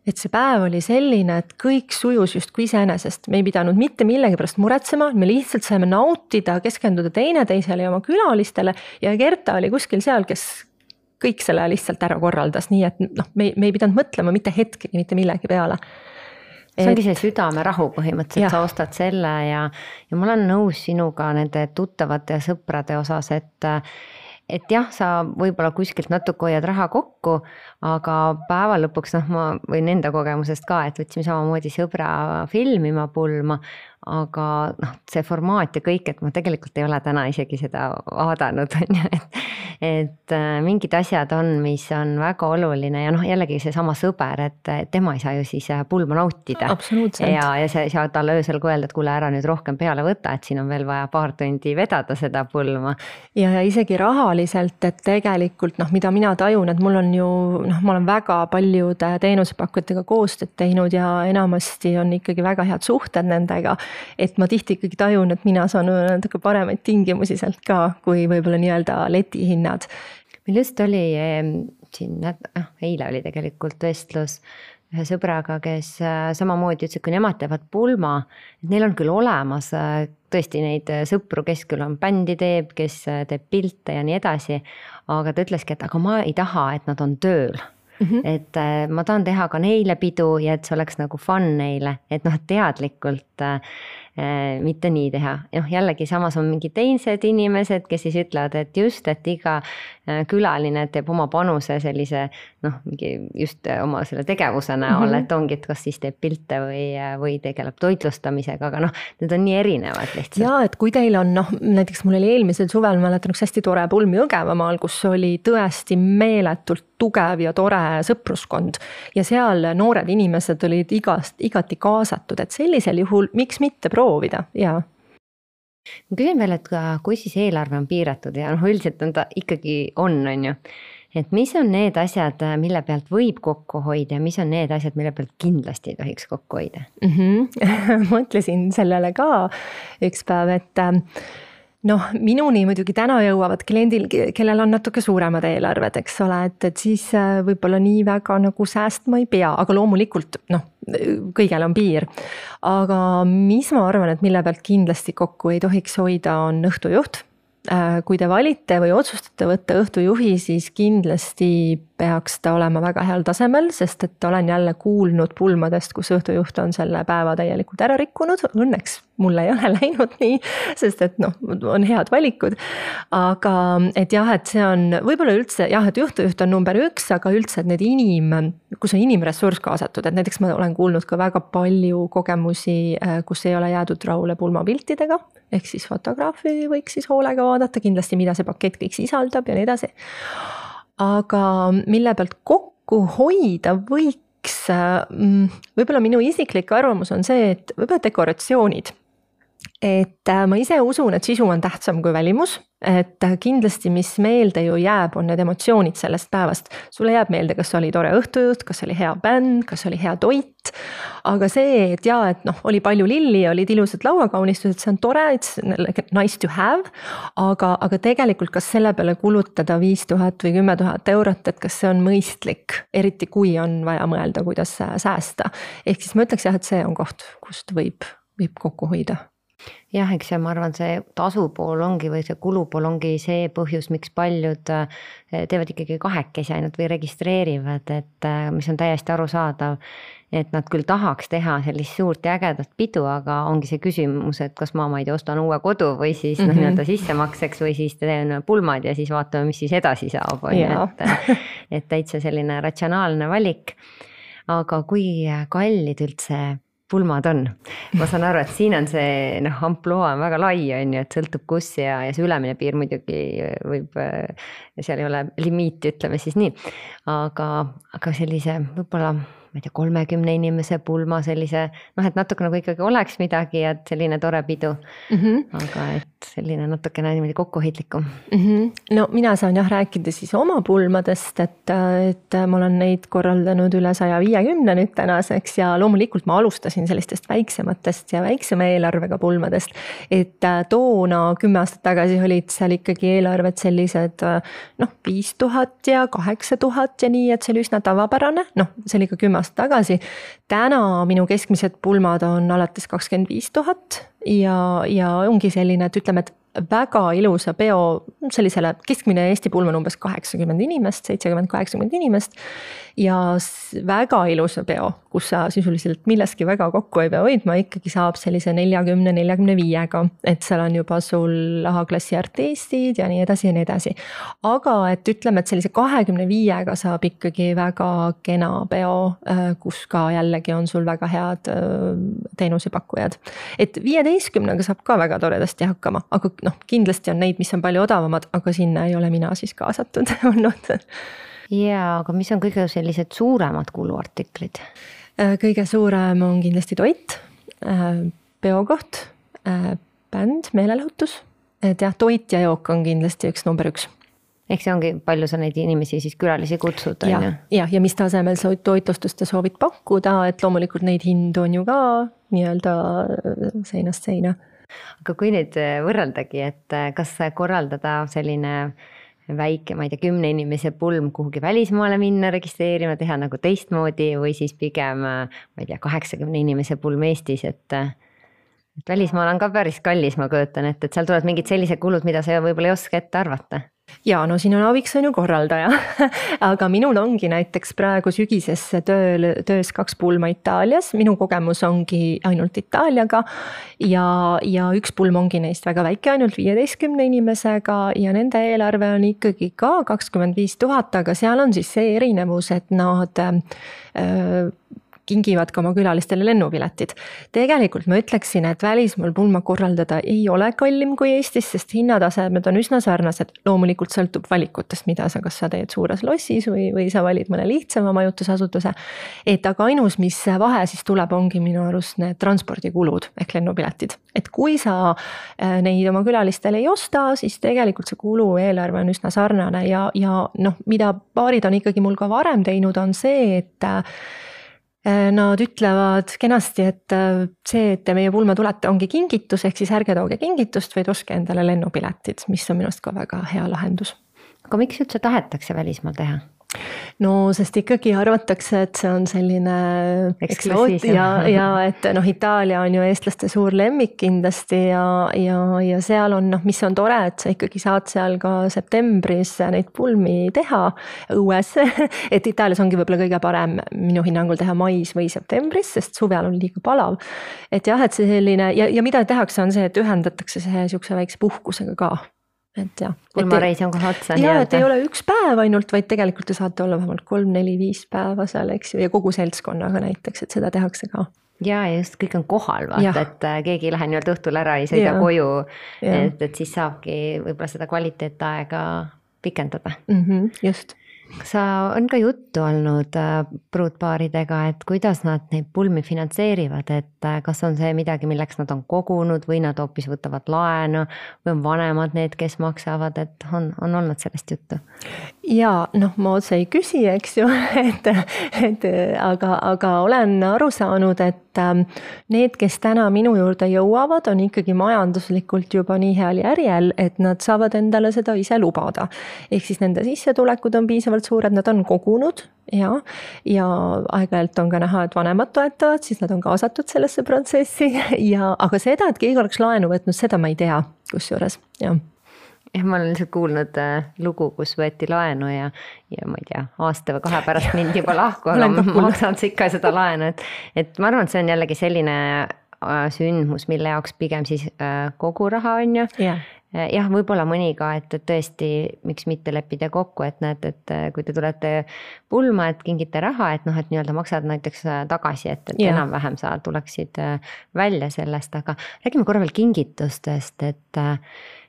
et see päev oli selline, et kõik sujus just kui iseenesest. Me ei pidanud mitte millegi pärast muretsema, me lihtsalt saime nautida, keskenduda teineteisele ja oma külalistele ja Gerta oli kuskil seal, kes kõik selle lihtsalt ära korraldas, nii et noh, me, me ei pidanud mõtlema mitte hetkegi, mitte millegi peale. See ongi see südamerahu põhimõtteliselt, ja. Sa ostad selle ja, ja ma olen nõus sinuga nende tuttavate ja sõprade osas, et et jah, sa võib-olla kuskilt natuke hoiad raha kokku, aga päeva lõpuks, noh, ma võin enda kogemusest ka, et võtsime samamoodi sõbra filmima pulma, aga noh, see formaat ja kõik, et ma tegelikult ei ole täna isegi seda vaadanud, et, et mingid asjad on, mis on väga oluline ja noh, jällegi see sama sõber, et tema ei saa ju siis pulma nautida. Absoluutselt. Ja, ja sa ei saa talle öösel ka öelda, et kuule ära nüüd rohkem peale võta, et siin on veel vaja paar tundi vedada seda pulma. Ja, ja isegi rahaliselt, et tegelikult noh, mida mina tajun, et mul on ju, noh, ma olen väga paljude teenusepakkujatega koostööd teinud ja enamasti on ikkagi väga head suhted nendega, et ma tihti ikkagi tajun, et mina saan natuke paremaid tingimusi sealt ka, kui võib-olla nii-öelda letihinnad. Meil just oli siin, eile oli tegelikult vestlus ühe sõbraga, kes samamoodi ütles, et kui nemad teevad pulma, et neil on küll olemas tõesti neid sõpru, kes küll on bändi teeb, kes teeb pilte ja nii edasi, aga ta ütleski, et aga ma ei taha, et nad on tööl. Mm-hmm. Et ma tahan teha ka neile pidu ja et see oleks nagu fun neile, et noh, teadlikult äh, mitte nii teha. Noh, jällegi samas on mingi teised inimesed, kes siis ütlevad, et just, et iga külaline teeb oma panuse sellise, noh, just oma selle tegevuse näol, mm-hmm. et ongi, et kas siis teeb pilte või, või tegeleb toitlustamisega, aga noh, need on nii erinevad lihtsalt. Ja, et kui teil on, noh, näiteks mul oli eelmisel suvel, mäletan üks hästi tore pulm Jõgevamaal, kus oli tõesti meeletult tugev ja tore sõpruskond ja seal noored inimesed olid igast, igati kaasatud, et sellisel juhul miks mitte proovida, jaa. Ma küsin veel, et kui siis eelarve on piiratud ja noh, üldiselt on ta ikkagi on, on ju, et mis on need asjad, mille pealt võib kokku hoida ja mis on need asjad, mille pealt kindlasti ei tohiks kokku hoida? Mm-hmm. Mõtlesin sellele ka üks päev, et noh, minuni muidugi täna jõuavad kliendil, kellel on natuke suuremad eelarved, eks ole, et, et siis võib-olla nii väga nagu säästma ei pea, aga loomulikult noh, kõigel on piir. Aga mis ma arvan, et mille pealt kindlasti kokku ei tohiks hoida, on õhtujuht. Kui te valite või otsustate võtta õhtujuhi, siis kindlasti peaks ta olema väga heal tasemel, sest et olen jälle kuulnud pulmadest, kus õhtujuht on selle päeva täielikult ära rikkunud. Õnneks mulle ei ole läinud nii, sest et noh, on head valikud. Aga et jah, et see on võib-olla üldse, jah, et õhtujuht on number üks, aga üldse, et need inim, kus on inimressurss kaasatud, et näiteks ma olen kuulnud ka väga palju kogemusi, kus ei ole jäädud rahule pulmapiltidega, ehk siis fotograafi võiks siis hoolega vaadata kindlasti, mida see pakett kõik sisaldab ja nii edasi. Aga mille pealt kokku hoida võiks, võib-olla minu isiklik arvamus on see, et võib-olla dekoratsioonid. Et ma ise usun, et sisu on tähtsam kui välimus, et kindlasti mis meelde ju jääb, on need emotsioonid sellest päevast. Sulle jääb meelde, kas oli tore õhtujuht, kas oli hea bänd, kas oli hea toit, aga see, et jaa, et noh, oli palju lilli, olid ilusad lauakaunistused, see on tore, it's nice to have, aga, aga tegelikult kas selle peale kulutada viis tuhat või kümme tuhat eurot, et kas see on mõistlik, eriti kui on vaja mõelda, kuidas säästa. Ehk siis ma ütleks jah, et see on koht, kust võib, võib kokku hoida. Jah, eks ma arvan, see tasupool ongi või see kulupool ongi see põhjus, miks paljud teevad ikkagi kahekesi ainult või registreerivad, et mis on täiesti arusaadav, et nad küll tahaks teha sellist suurt ja ägedat pidu, aga ongi see küsimus, et kas ma, ma ei tea, ostan uue kodu või siis mm-hmm. no, nii-öelda sissemakseks või siis teen pulmad ja siis vaatame, mis siis edasi saab. Et, et täitsa selline ratsionaalne valik. Aga kui kallid üldse pulmad on? Ma saan aru, et siin on see noh, ampluaa on väga lai, on ju, et sõltub kus ja, ja see ülemine piir muidugi võib, seal ei ole limiiti, ütleme siis nii. Aga, aga sellise võib-olla, ma ei tea, kolmekümne inimese pulma sellise, noh, et natuke nagu ikkagi oleks midagi ja selline tore pidu. Mm -hmm. Aga et selline natuke niimoodi kokkuhoidlikum. Mm -hmm. No mina saan jah rääkida siis oma pulmadest, et, et ma olen neid korraldanud üle saja viiekümne nüüd tänaseks ja loomulikult ma alustasin sellistest väiksematest ja väiksema eelarvega pulmadest, et toona kümme aastat tagasi olid seal ikkagi eelarved sellised noh, viis tuhat ja kaheksa tuhat ja nii, et see oli üsna tavapärane, noh, see oli ka kümme aastat tagasi. Täna minu keskmised pulmad on alates kakskümmend viis tuhat ja, ja ongi selline, et ütleme, et väga ilusa peo, sellisele keskmine Eesti pulm on umbes kaheksakümmend inimest, seitsekümmend kaheksakümmend inimest ja väga ilusa peo, kus sa sisuliselt milleski väga kokku ei pea hoidma, ikkagi saab sellise neljakümne neljakümne viiega, et seal on juba sul A-klassi artistid ja nii edasi ja nii edasi. Aga et ütleme, et sellise kahekümne viiega saab ikkagi väga kena peo, kus ka jällegi on sul väga head teenusepakkujad. Et viieteistkümnega saab ka väga toredasti hakkama, aga noh, kindlasti on neid, mis on palju odavamad, aga sinna ei ole mina siis kaasatud olnud. Jaa, aga mis on kõige sellised suuremad kuluartiklid? Kõige suurem on kindlasti toit, peokoht, bänd, meelelahutus. Et jah, toit ja jook on kindlasti üks number üks. Ehk see ongi, palju sa neid inimesi siis külalisi kutsud? Ja, ja, ja mis tasemel sa toitlustuste soovid pakkuda, et loomulikult neid hindu on ju ka nii-öelda seinast seina. Aga kui nüüd võrreldagi, et kas korraldada selline väike, ma ei tea, kümne inimese pulm kuhugi välismaale minna, registreerima, teha nagu teistmoodi või siis pigem, ma ei tea, kaheksakümne inimese pulm Eestis, et, et välismaal on ka päris kallis, ma köötan, et, et seal tulevad mingid sellised kulud, mida sa võib-olla ei oska ette arvata. Ja no siin on abiks on ju korraldaja, aga minul ongi näiteks praegu sügisesse tööl, töös kaks pulma Itaalias, minu kogemus ongi ainult Itaaliaga ja, ja üks pulm ongi neist väga väike, ainult viieteistkümne inimesega ja nende eelarve on ikkagi ka kakskümmend viis tuhat, aga seal on siis see erinevus, et nad äh, kingivad ka oma külalistele lennupiletid. Tegelikult ma ütleksin, et välismaal pulma korraldada ei ole kallim kui Eestis, sest hinnatasemed on üsna sarnased. Loomulikult sõltub valikutest, mida sa, kas sa teed suures lossis või, või sa valid mõne lihtsama majutusasutuse. Et aga ainus, mis vahe siis tuleb, ongi minu arust need transpordikulud ehk lennupiletid. Et kui sa neid oma külalistele ei osta, siis tegelikult see kulu eelarve on üsna sarnane ja, ja noh, mida paarid on ikkagi mul ka varem teinud, on see, et nad ütlevad kenasti, et see, et te meie pulma tulete, ongi kingitus, ehk siis ärge tooge kingitust, vaid ostke endale lennupiletid, mis on minust ka väga hea lahendus. Aga miks üldse tahetakse välismaal teha? No sest ikkagi arvatakse, et see on selline eksoot ja, ja et noh, Itaalia on ju eestlaste suur lemmik kindlasti ja, ja, ja seal on noh, mis on tore, et sa ikkagi saad seal ka septembris neid pulmi teha õues, et Itaalias ongi võib-olla kõige parem minu hinnangul teha mais või septembris, sest suvel on liiga palav. Et jah, et see selline ja, ja mida tehakse on see, et ühendatakse see niisuguse väikse puhkusega ka. Et jah, pulmareis on kohe otsa. Ja, et ei ole üks päev ainult, vaid tegelikult te saate olla vähemalt kolm, neli, viis päeva seal, eks ju, ja kogu seltskonnaga näiteks, et seda tehakse ka. Ja, ja just kõik on kohal, vaata, et keegi ei lähe nii-öelda õhtul ära, ei sõida koju, et, et siis saabki võib-olla seda kvaliteetaega pikendada. Mm-hmm, just. Sa on ka juttu olnud pruutpaaridega, et kuidas nad neid pulmi finantseerivad, et kas on see midagi, milleks nad on kogunud või nad hoopis võtavad laenu või on vanemad need, kes maksavad, et on, on olnud sellest juttu? Ja noh, ma otse ei küsi, eks ju, et, et aga, aga olen aru saanud, et need, kes täna minu juurde jõuavad, on ikkagi majanduslikult juba nii heal järjel, et nad saavad endale seda ise lubada. Ehk siis nende sissetulekud on piisavalt suured, nad on kogunud ja, ja aeg-ajalt on ka näha, et vanemad toetavad, siis nad on kaasatud sellesse protsessi ja, aga seda, et keegi oleks laenu võtnud, seda ma ei tea kusjuures, jah. Ja ma olen lihtsalt kuulnud lugu, kus võeti laenu ja, ja ma ei tea, aasta või kahe pärast mind juba lahku, aga ma maksan ikka seda laenu, et, et ma arvan, et see on jällegi selline sündmus, mille jaoks pigem siis kogu raha on ju, yeah. jah, võib-olla mõni ka, et tõesti, miks mitte leppida kokku, et näed, et kui te tulete pulma, et kingite raha, et noh, et nii-öelda maksad näiteks tagasi, et, et yeah. enam-vähem sa tuleksid välja sellest, aga räägime korra veel kingitustest, et,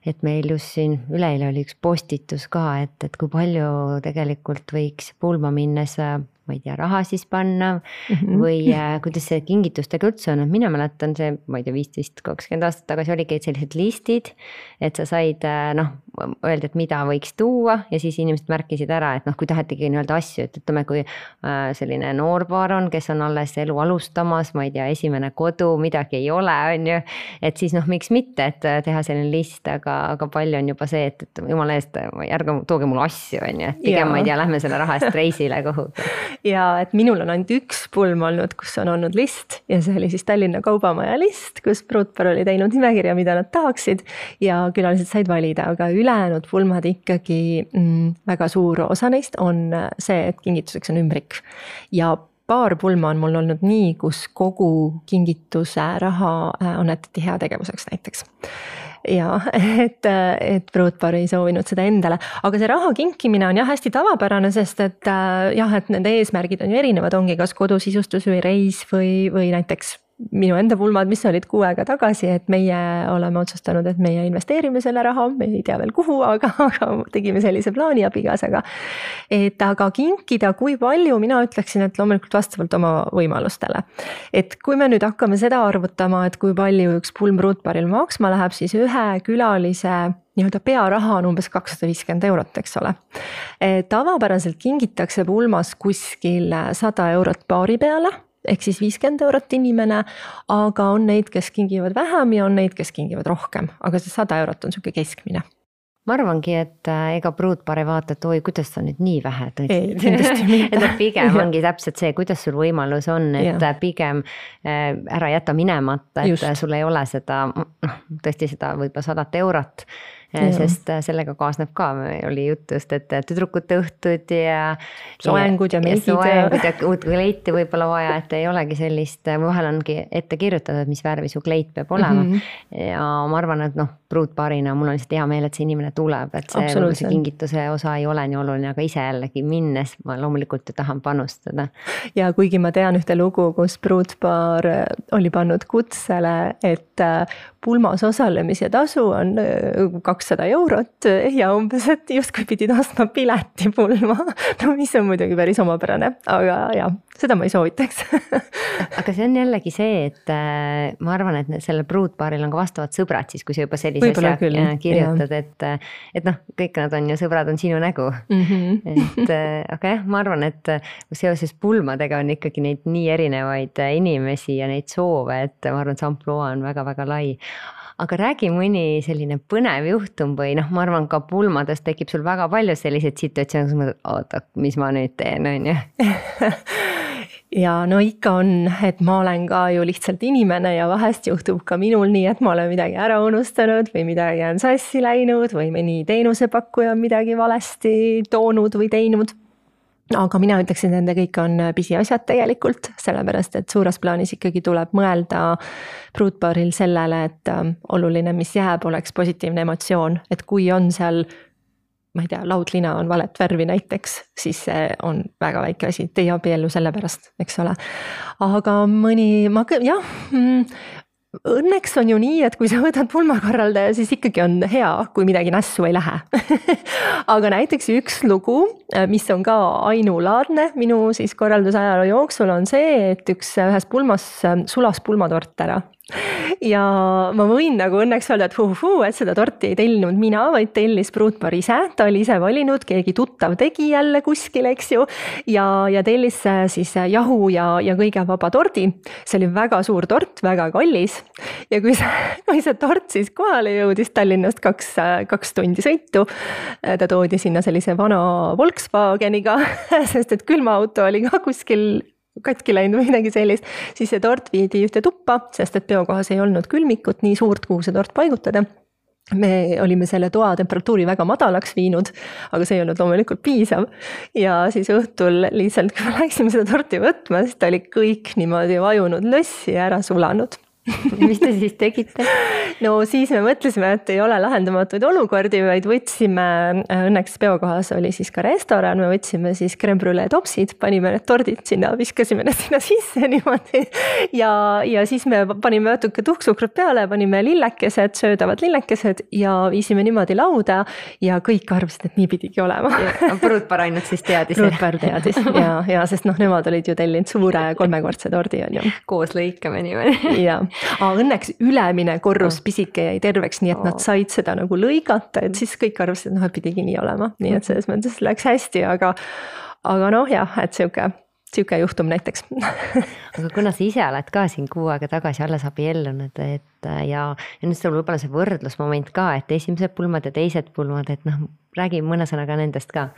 et meil just siin üleeile oli üks postitus ka, et, et kui palju tegelikult võiks pulma minnes ma ei tea, raha siis panna mm-hmm. või äh, kuidas see kingitustega üldse on, mina mäletan see, ma ei tea, viisteist kakskümmend aastat tagasi oligi sellised listid, et sa said äh, noh, öelda, et mida võiks tuua ja siis inimesed märkisid ära, et noh, kui tahetigi nii-öelda asju, et ütleme, kui äh, selline noorpaar on, kes on alles elu alustamas, ma ei tea, esimene kodu, midagi ei ole, on ju, et siis noh, miks mitte, et teha selline list, aga, aga palju on juba see, et, et jumala eest, ärge tooge mulle asju, on ju, et pigem ja. ma ei tea, lähme selle raha eest reisile kuhugi. Ja et minul on ainult üks pulm olnud, kus on olnud list ja see oli siis Tallinna Kaubamaja list, kus pruutpaar oli teinud nimekirja, mida nad tahaksid ja külalised said valida, aga ülejäänud pulmad ikkagi mm, väga suur osa neist on see, et kingituseks on ümbrik ja paar pulma on mul olnud nii, kus kogu kingituse raha annetati heategevuseks näiteks. Ja, et, et pruutpaar ei soovinud seda endale, aga see raha kinkimine on jah hästi tavapärane, sest et jah, et nende eesmärgid on ju erinevad, ongi kas kodusisustus või reis või, või näiteks minu enda pulmad, mis olid kuu aega tagasi, et meie oleme otsustanud, et meie investeerime selle raha, me ei tea veel kuhu, aga, aga tegime sellise plaani abikaasaga. Et aga kinkida, kui palju, mina ütleksin, et loomulikult vastavalt oma võimalustele. Et kui me nüüd hakkame seda arvutama, et kui palju üks pulm pruutpaaril maksma läheb, siis ühe külalise nii-öelda pearaha on umbes kakssada viiskümmend eurot, eks ole. Tavapäraselt kingitakse pulmas kuskil sada eurot paari peale, ehk siis viiskümmend eurot inimene, aga on neid, kes kingivad vähem ja on neid, kes kingivad rohkem, aga see sada eurot on selline keskmine. Ma arvangi, et ega pruutpaar ei vaata, et oi, kuidas sa nüüd nii vähe tõid. Et pigem ongi täpselt see, kuidas sul võimalus on, et ja. pigem ära jäta minemata, et Just. sul ei ole seda, tõesti seda võib-olla sadat eurot. Ja. Sest sellega kaasneb ka, oli jutust, et tüdrukute õhtud ja soengud ja meigid ja soengud ja uut kleiti võib-olla vaja, et ei olegi sellist, vahel ongi ette kirjutatud, mis värvi su kleit peab olema mm -hmm. ja ma arvan, et noh, pruutpaarina mul on lihtsalt hea meel, et see inimene tuleb, et see, see kingituse osa ei ole nii oluline, aga ise jällegi minnes ma loomulikult ju tahan panustada. Ja kuigi ma tean ühte lugu, kus pruutpaar oli pannud kutsele, et pulmas osalemise tasu on kakssada eurot ja umbes, et justkui pidid ostma pileti pulma, no mis on muidugi päris omapärane, aga jah, seda ma ei soovitaks. Aga see on jällegi see, et ma arvan, et sellel pruutpaaril on ka vastavad sõbrad, siis kui sa juba sellise asja kirjutad, et, et noh, kõik nad on ju sõbrad, on sinu nägu. Mm -hmm. et aga jah, ma arvan, et seoses pulmadega on ikkagi neid nii erinevaid inimesi ja neid soove, et ma arvan, et see ampluaa on väga-väga lai. Aga räägi mõni selline põnev juhtum või noh, ma arvan, ka pulmadest tekib sul väga palju selliseid situatsioone, kus mõtled, oota, mis ma nüüd teen, on ju? Ja no ikka on, et ma olen ka ju lihtsalt inimene ja vahest juhtub ka minul nii, et ma olen midagi ära unustanud või midagi on sassi läinud või mõni teenusepakkuja on midagi valesti toonud või teinud. Aga mina ütleksin, et nende kõik on pisiasjad tegelikult, sellepärast, et suures plaanis ikkagi tuleb mõelda pruutpaaril sellele, et oluline, mis jääb, oleks positiivne emotsioon, et kui on seal ma ei tea, laudlina on valet värvi näiteks, siis see on väga väike asi, te ei abiellu selle pärast, eks ole. Aga mõni, ma jah, õnneks on ju nii, et kui sa võtad pulmakorraldaja, siis ikkagi on hea, kui midagi nässu ei lähe. Aga näiteks üks lugu, mis on ka ainulaadne minu siis korraldusajaloo jooksul, on see, et üks ühes pulmas sulas pulmatort ära. Ja ma võin nagu õnneks öelda, et huu, huu, et seda torti ei tellinud mina, vaid tellis pruutpaar ise. Ta oli ise valinud, keegi tuttav tegi jälle kuskil, eks ju. Ja, ja tellis siis jahu ja, ja kõige vaba tordi. See oli väga suur tort, väga kallis. Ja kui see, kui see tort siis kohale jõudis Tallinnast kaks, kaks tundi sõitu, ta toodi sinna sellise vana Volkswageniga, sest et külmaauto oli ka kuskil katki läinud või midagi sellist, siis see tort viidi ühte tuppa, sest et peokohas ei olnud külmikut nii suurt, kuhu see tort paigutada. Me olime selle toa temperatuuri väga madalaks viinud, aga see ei olnud loomulikult piisav. Ja siis õhtul lihtsalt, kui me läksime seda torti võtma, siis ta oli kõik niimoodi vajunud lössi ja ära sulanud. mis te siis tegite? No siis me mõtlesime, et ei ole lahendamatuid olukordi, vaid võtsime, õnneks peokohas oli siis ka restoran, me võtsime siis crème brûlée topsid, panime need tordid sinna, viskasime need sinna sisse niimoodi ja, ja siis me panime natuke tuhksukrut peale, panime lillekesed, söödavad lillekesed ja viisime niimoodi lauda ja kõik arvasid, et nii pidigi olema. Pruutpar ainult siis teadis. Pruutpar teadis ja, ja sest noh, nemad olid ju tellinud suure kolmekordse tordi on ju. Koos lõikame niimoodi. Ja. Aa, õnneks ülemine korrus pisike jäi terveks, nii et nad said seda nagu lõigata, et siis kõik arvasid, et noh, et pidigi nii olema. Nii et selles mõttes läks hästi, aga, aga noh jah, et siuke, siuke juhtum näiteks. Aga kuna sa ise oled ka siin kuu aega tagasi alles abiellunud, et ja, ja nüüd sul võib-olla see võrdlusmoment ka, et esimesed pulmad ja teised pulmad, et noh, räägi mõne sõnaga nendest ka.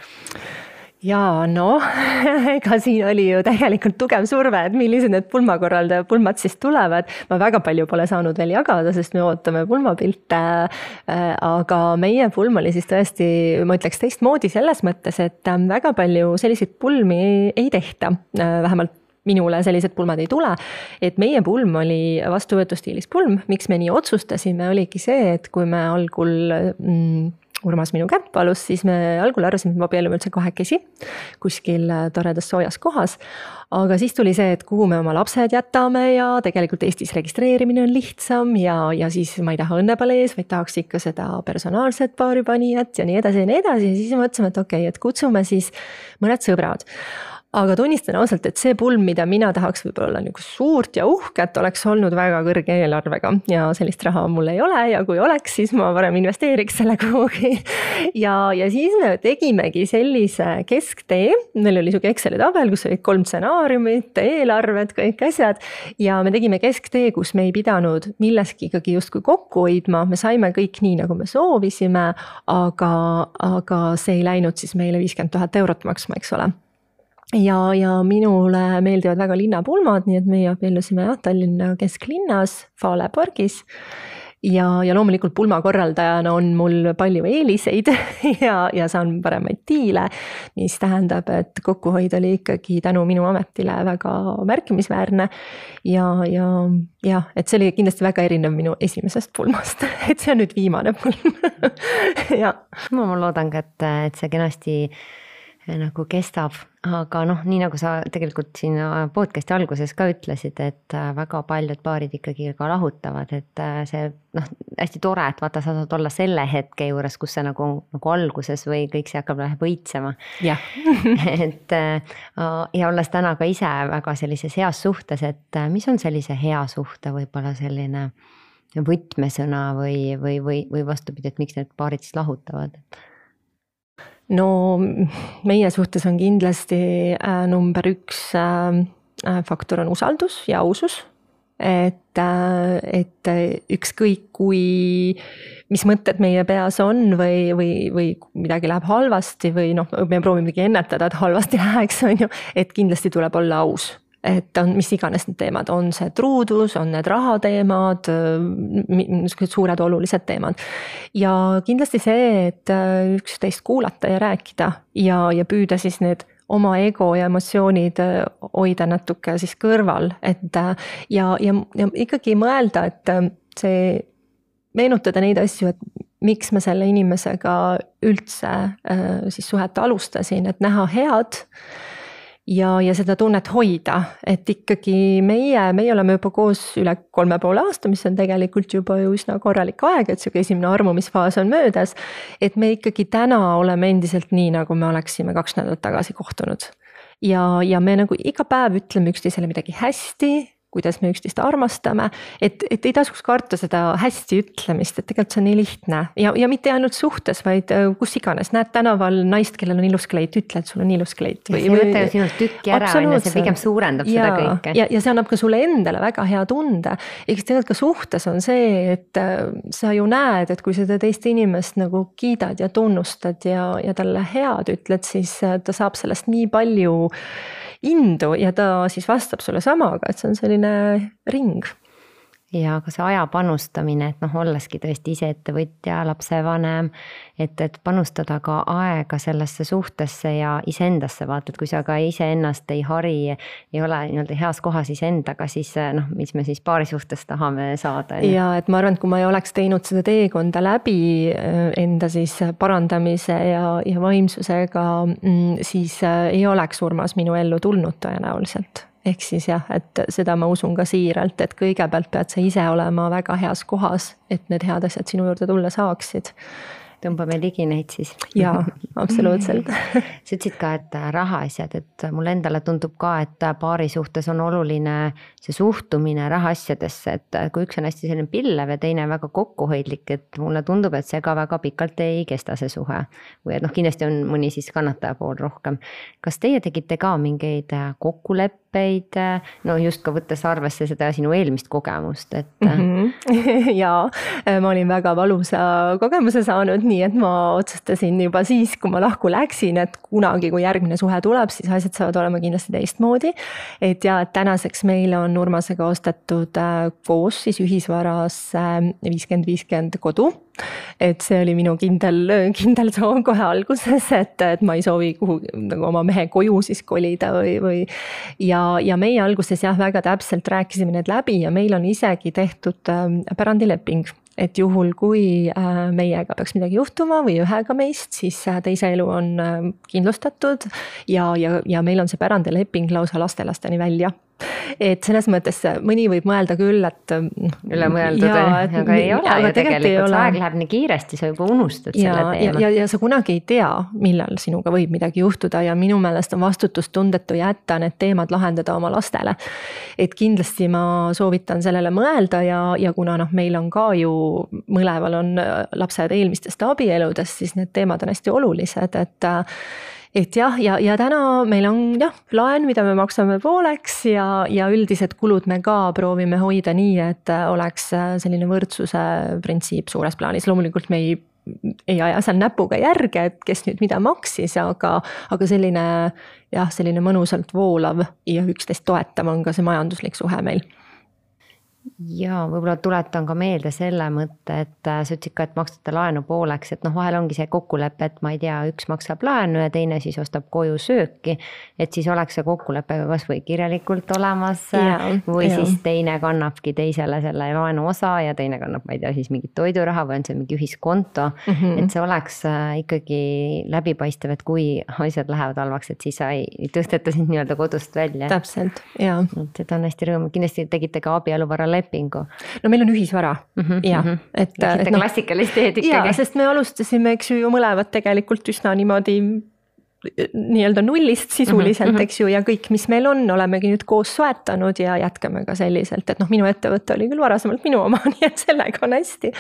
Jaa, no, ega siin oli ju tegelikult tugev surve, et millised need pulmakorraldaja pulmad siis tulevad. Ma väga palju pole saanud veel jagada, sest me ootame pulmapilte, aga meie pulm oli siis tõesti, ma ütleks teistmoodi selles mõttes, et väga palju selliseid pulmi ei tehta, vähemalt minule sellised pulmad ei tule, et meie pulm oli vastuvõtustiilis pulm, miks me nii otsustasime, oligi see, et kui me algul mm, Urmas minu kätt palus, siis me algul arvasime, et me abiellume üldse kahekesi kuskil toredas soojas kohas. Aga siis tuli see, et kuhu me oma lapsed jätame ja tegelikult Eestis registreerimine on lihtsam ja, ja siis ma ei taha õnnepalees, vaid tahaks ikka seda personaalset paaripanijat ja nii edasi ja nii edasi. Ja siis mõtlesime, et okei, et kutsume siis mõned sõbrad. Aga tunnistan ausalt, et see pulm, mida mina tahaks võib-olla nagu suurt ja uhket, oleks olnud väga kõrge eelarvega ja sellist raha mul ei ole ja kui oleks, siis ma varem investeeriks selle kuhugi. Ja, ja siis me tegimegi sellise kesktee, meil oli suke Exceli tabel, kus olid kolm stsenaariumit, eelarved, kõik asjad ja me tegime kesktee, kus me ei pidanud milleski ikkagi justkui kokku hoidma, me saime kõik nii, nagu me soovisime, aga, aga see ei läinud siis meile viiskümmend tuhat eurot maksma, eks ole. Ja, ja minule meeldivad väga linnapulmad, nii et meie abiellusime jah, Tallinna kesklinnas, Fale pargis. Ja, ja loomulikult pulmakorraldajana on mul palju eeliseid ja, ja saan paremaid diile, mis tähendab, et kokkuhoid oli ikkagi tänu minu ametile väga märkimisväärne. Ja, ja, ja, et see oli kindlasti väga erinev minu esimesest pulmast, et see on nüüd viimane pulm. Ja. Ma, ma loodan, et, et see kenasti nagu kestab, aga noh, nii nagu sa tegelikult siin podcasti alguses ka ütlesid, et väga paljud paarid ikkagi ka lahutavad, et see noh, hästi tore, et vaata, sa saad olla selle hetke juures, kus see nagu, nagu alguses või kõik see hakkab läheb võitsema. Ja. et ja olles täna ka ise väga sellises heas suhtes, et mis on sellise hea suhte võib-olla selline võtmesõna või, või, või, või vastupidi, et miks need paarid siis lahutavad? No meie suhtes on kindlasti äh, number üks äh, faktor on usaldus ja ausus, et, äh, et ükskõik kui, mis mõtted meie peas on või, või, või midagi läheb halvasti või noh, me proovimegi ennetada, et halvasti läheks, on ju, et kindlasti tuleb olla aus. Et on mis iganes need teemad, on see truudus, on need rahateemad, suured olulised teemad. Ja kindlasti see, et üksteist kuulata ja rääkida ja, ja püüda siis need oma ego ja emotsioonid hoida natuke siis kõrval. Et, ja, ja, ja ikkagi mõelda, et see meenutada neid asju, et miks ma selle inimesega üldse siis suhet alustasin, et näha head ja, ja seda tunnet hoida, et ikkagi meie, meie oleme juba koos üle kolme poole aasta, mis on tegelikult juba ju üsna korralik aeg, et see esimene armumisfaas on möödas, et me ikkagi täna oleme endiselt nii, nagu me oleksime kaks nädalat tagasi kohtunud. Ja, ja me nagu iga päev ütleme üksteisele midagi hästi, kuidas me üksteist armastame, et, et ei tasuks karta seda hästi ütlemist, et tegelikult see on nii lihtne ja, ja mitte ainult suhtes, vaid kus iganes. Näed tänaval naist, kellel on ilus kleit, ütle, et sul on ilus kleit. Või, see võtta ju sinult tükki ära, see pigem suurendab ja, seda kõike. Ja, ja see annab ka sulle endale väga hea tunde. Eks tegelikult ka suhtes on see, et sa ju näed, et kui seda teist inimest nagu kiidad ja tunnustad ja, ja talle head ütled, siis ta saab sellest nii palju indu ja ta siis vastab sulle samaga, et see on selline ring. ja ka see aja panustamine, et noh, olleski tõesti ise ettevõtja, lapsevanem, et, et panustada ka aega sellesse suhtesse ja iseendasse, vaata, et kui sa ka iseennast ei hari, ei ole nii-öelda heas kohas iseendaga, siis noh, mis me siis paari suhtes tahame saada. Ja et ma arvan, et kui ma ei oleks teinud seda teekonda läbi enda siis parandamise ja, ja vaimsusega, siis ei oleks Urmas minu ellu tulnud tõenäoliselt. Ehk siis jah, et seda ma usun ka siiralt, et kõigepealt pead sa ise olema väga heas kohas, et need head asjad sinu juurde tulla saaksid. Tõmbame ligi neid siis. Jaa, absoluutselt. Sa ütlesid ka, et rahaasjad, et mulle endale tundub ka, et paari suhtes on oluline see suhtumine rahaasjadesse, et kui üks on hästi selline pillev ja teine väga kokkuhoidlik, et mulle tundub, et see ka väga pikalt ei kesta see suhe. Või et noh, kindlasti on mõni siis kannataja pool rohkem. Kas teie tegite ka mingeid kokkuleppeid, no just ka võttes arvesse seda sinu eelmist kogemust, et mm-hmm. Jaa, ma olin väga valusa kogemuse saanud, nii et ma otsustasin juba siis, kui ma lahku läksin, et kunagi, kui järgmine suhe tuleb, siis asjad saavad olema kindlasti teistmoodi. Et ja, et tänaseks meil on Urmasega ostetud koos siis ühisvaras viiskümmend viiskümmend kodu. Et see oli minu kindel, kindel soov kohe alguses, et, et ma ei soovi kuhu nagu oma mehe koju siis kolida või, või ja, ja meie alguses jah, väga täpselt rääkisime need läbi ja meil on isegi tehtud pärandileping. Et juhul, kui meiega peaks midagi juhtuma või ühega meist, siis teise elu on kindlustatud ja, ja, ja meil on see pärandileping lausa lastelasteni välja. Et selles mõttes mõni võib mõelda küll, et üle mõeldud, aga ei ole ju tegelikult, see aeg läheb nii kiiresti, sa juba unustad ja, selle teema. Ja, ja, ja sa kunagi ei tea, millal sinuga võib midagi juhtuda ja minu meelest on vastutustundetu jätta need teemad lahendada oma lastele. Et kindlasti ma soovitan sellele mõelda ja, ja kuna noh, meil on ka ju mõleval on lapsed eelmistest abieludest, siis need teemad on hästi olulised, et Et jah, ja, ja täna meil on jah, laen, mida me maksame pooleks ja, ja üldised kulud me ka proovime hoida nii, et oleks selline võrdsuse printsiip suures plaanis. Loomulikult me ei, ei aja seal näpuga järge, et kes nüüd mida maksis, aga, aga selline, jah, selline mõnusalt voolav ja üksteist toetav on ka see majanduslik suhe meil. Ja võib-olla tuletan ka meelde selle mõtte, et sa ütlesid ka, et makstate laenu pooleks, et noh, vahel ongi see kokkulepe, et ma ei tea, üks maksab laenu ja teine siis ostab koju sööki, et siis oleks see kokkulepe kas või kirjalikult olemas ja, või ja. Siis teine kannabki teisele selle laenu osa ja teine kannab, ma ei tea, siis mingit toiduraha või on see mingi ühiskonto, mm-hmm. et see oleks ikkagi läbipaistev, et kui asjad lähevad halvaks, et siis sa ei tõsteta sind nii-öelda kodust välja. Täpselt, jaa. Et seda on hästi rõõm, kindlasti tegite ka abieluvara lepingu. No meil on ühisvara. Mm-hmm, ja, mm-hmm. et, et no, klassikalist teed ikkagi. Ja, sest me alustasime, eks ju, ju mõlevad tegelikult üsna niimoodi nii-öelda nullist sisuliselt, mm-hmm. eks ju, ja kõik, mis meil on, olemegi nüüd koos soetanud ja jätkame ka selliselt, et noh, minu ettevõte oli küll varasemalt minu oma, nii et sellega on hästi,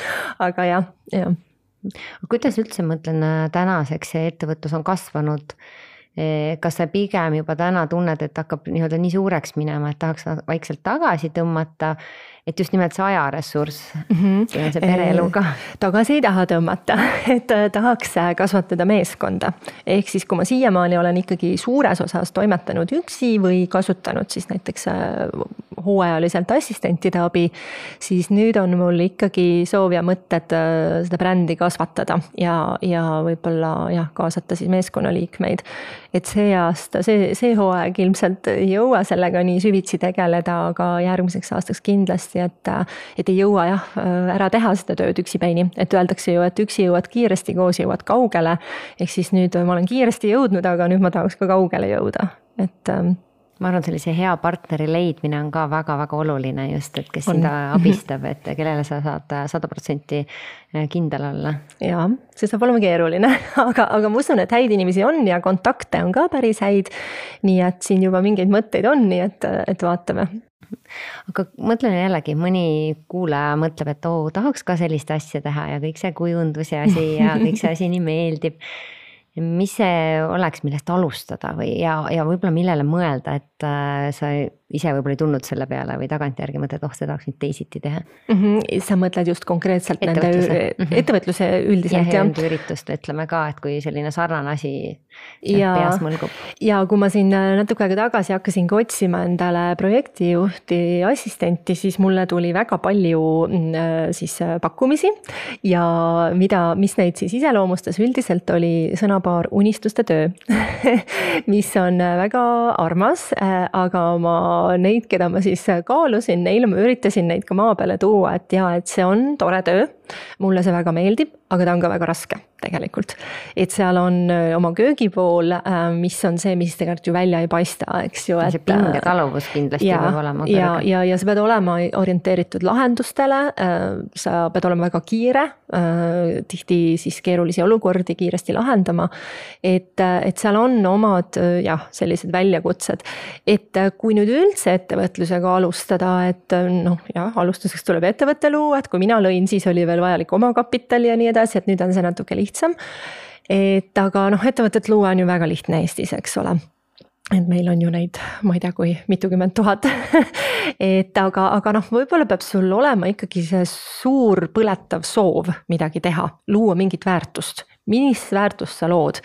aga jah, jah. Kuidas üldse mõtlen tänaseks see ettevõtlus on kasvanud? Kas sa pigem juba täna tunned, et hakkab nii-öelda nii suureks minema, et tahaks vaikselt tagasi tõmmata, et just nimelt see ajaressurss, mm-hmm. see on see pereeluga. Tagasi ei taha tõmmata, et tahaks kasvatada meeskonda. Ehk siis, kui ma siiamaani olen ikkagi suures osas toimetanud üksi või kasutanud siis näiteks hooajaliselt assistentide abi, siis nüüd on mul ikkagi soov ja mõtted seda brändi kasvatada ja, ja võib-olla jah, kaasata siis meeskonnaliikmeid. Et see aasta, see, see hooaeg ilmselt ei jõua sellega nii süvitsi tegeleda, aga järgmiseks aastaks kindlasti, et, et ei jõua jah, ära teha seda tööd üksipäini. Et öeldakse ju, et üksi jõuad kiiresti, koos jõuad kaugele. Ehk siis nüüd ma olen kiiresti jõudnud, aga nüüd ma tahaks ka kaugele jõuda. Et ma arvan, sellise hea partneri leidmine on ka väga-väga oluline just, et kes sind abistab, et kellele sa saad sada protsenti kindel olla. Jaa, see saab olema keeruline, aga, aga ma usun, et häid inimesi on ja kontakte on ka päris häid, nii et siin juba mingeid mõtteid on, nii et, et vaatame. Aga mõtlen jällegi, mõni kuulaja mõtleb, et oo, tahaks ka sellist asja teha ja kõik see kujundus ja asi ja kõik see asi nii meeldib. Mis see oleks, millest alustada või ja, ja võib-olla millele mõelda, et sa ise võib-olla ei tulnud selle peale või tagantjärgi mõtled, oh, seda tahaks nüüd teisiti teha mm? -hmm. Sa mõtled just konkreetselt ettevõtluse, nende mm -hmm. ettevõtluse üldiselt? Ja üritust ütleme ka, et kui selline sarnane asi ja, peas mõlgub. Ja kui ma siin natuke aega tagasi hakkasingi otsima endale projektijuhti assistenti, siis mulle tuli väga palju siis pakkumisi ja mida, mis neid siis iseloomustas üldiselt oli sõnapaar unistuste töö mis on väga armas, aga ma neid, keda ma siis kaalusin, neile ma üritasin neid ka maa peale tuua, et jaa, et see on tore töö, mulle see väga meeldib, aga ta on ka väga raske tegelikult. Et seal on oma köögipool, mis on see, mis tegelikult ju välja ei paista, eks ju. See pingetaluvus kindlasti ja, peab olema. Ja, ja, ja sa pead olema orienteeritud lahendustele, sa pead olema väga kiire, tihti siis keerulisi olukordi kiiresti lahendama, et, et seal on omad jah, sellised väljakutsed. Et kui nüüd üldse ettevõtlusega alustada, et noh, jah, alustuseks tuleb ettevõtte luua, et kui mina lõin, siis oli veel vajalik oma kapitali ja nii edasi, et nüüd on see natuke lihtsam. Et aga noh, ettevõtet luua on ju väga lihtne Eestis, eks ole. Et meil on ju neid, ma ei tea, kui mitukümmend tuhat. et aga, aga noh, võib-olla peab sul olema ikkagi see suur põletav soov midagi teha, luua mingit väärtust. Mis väärtust sa lood?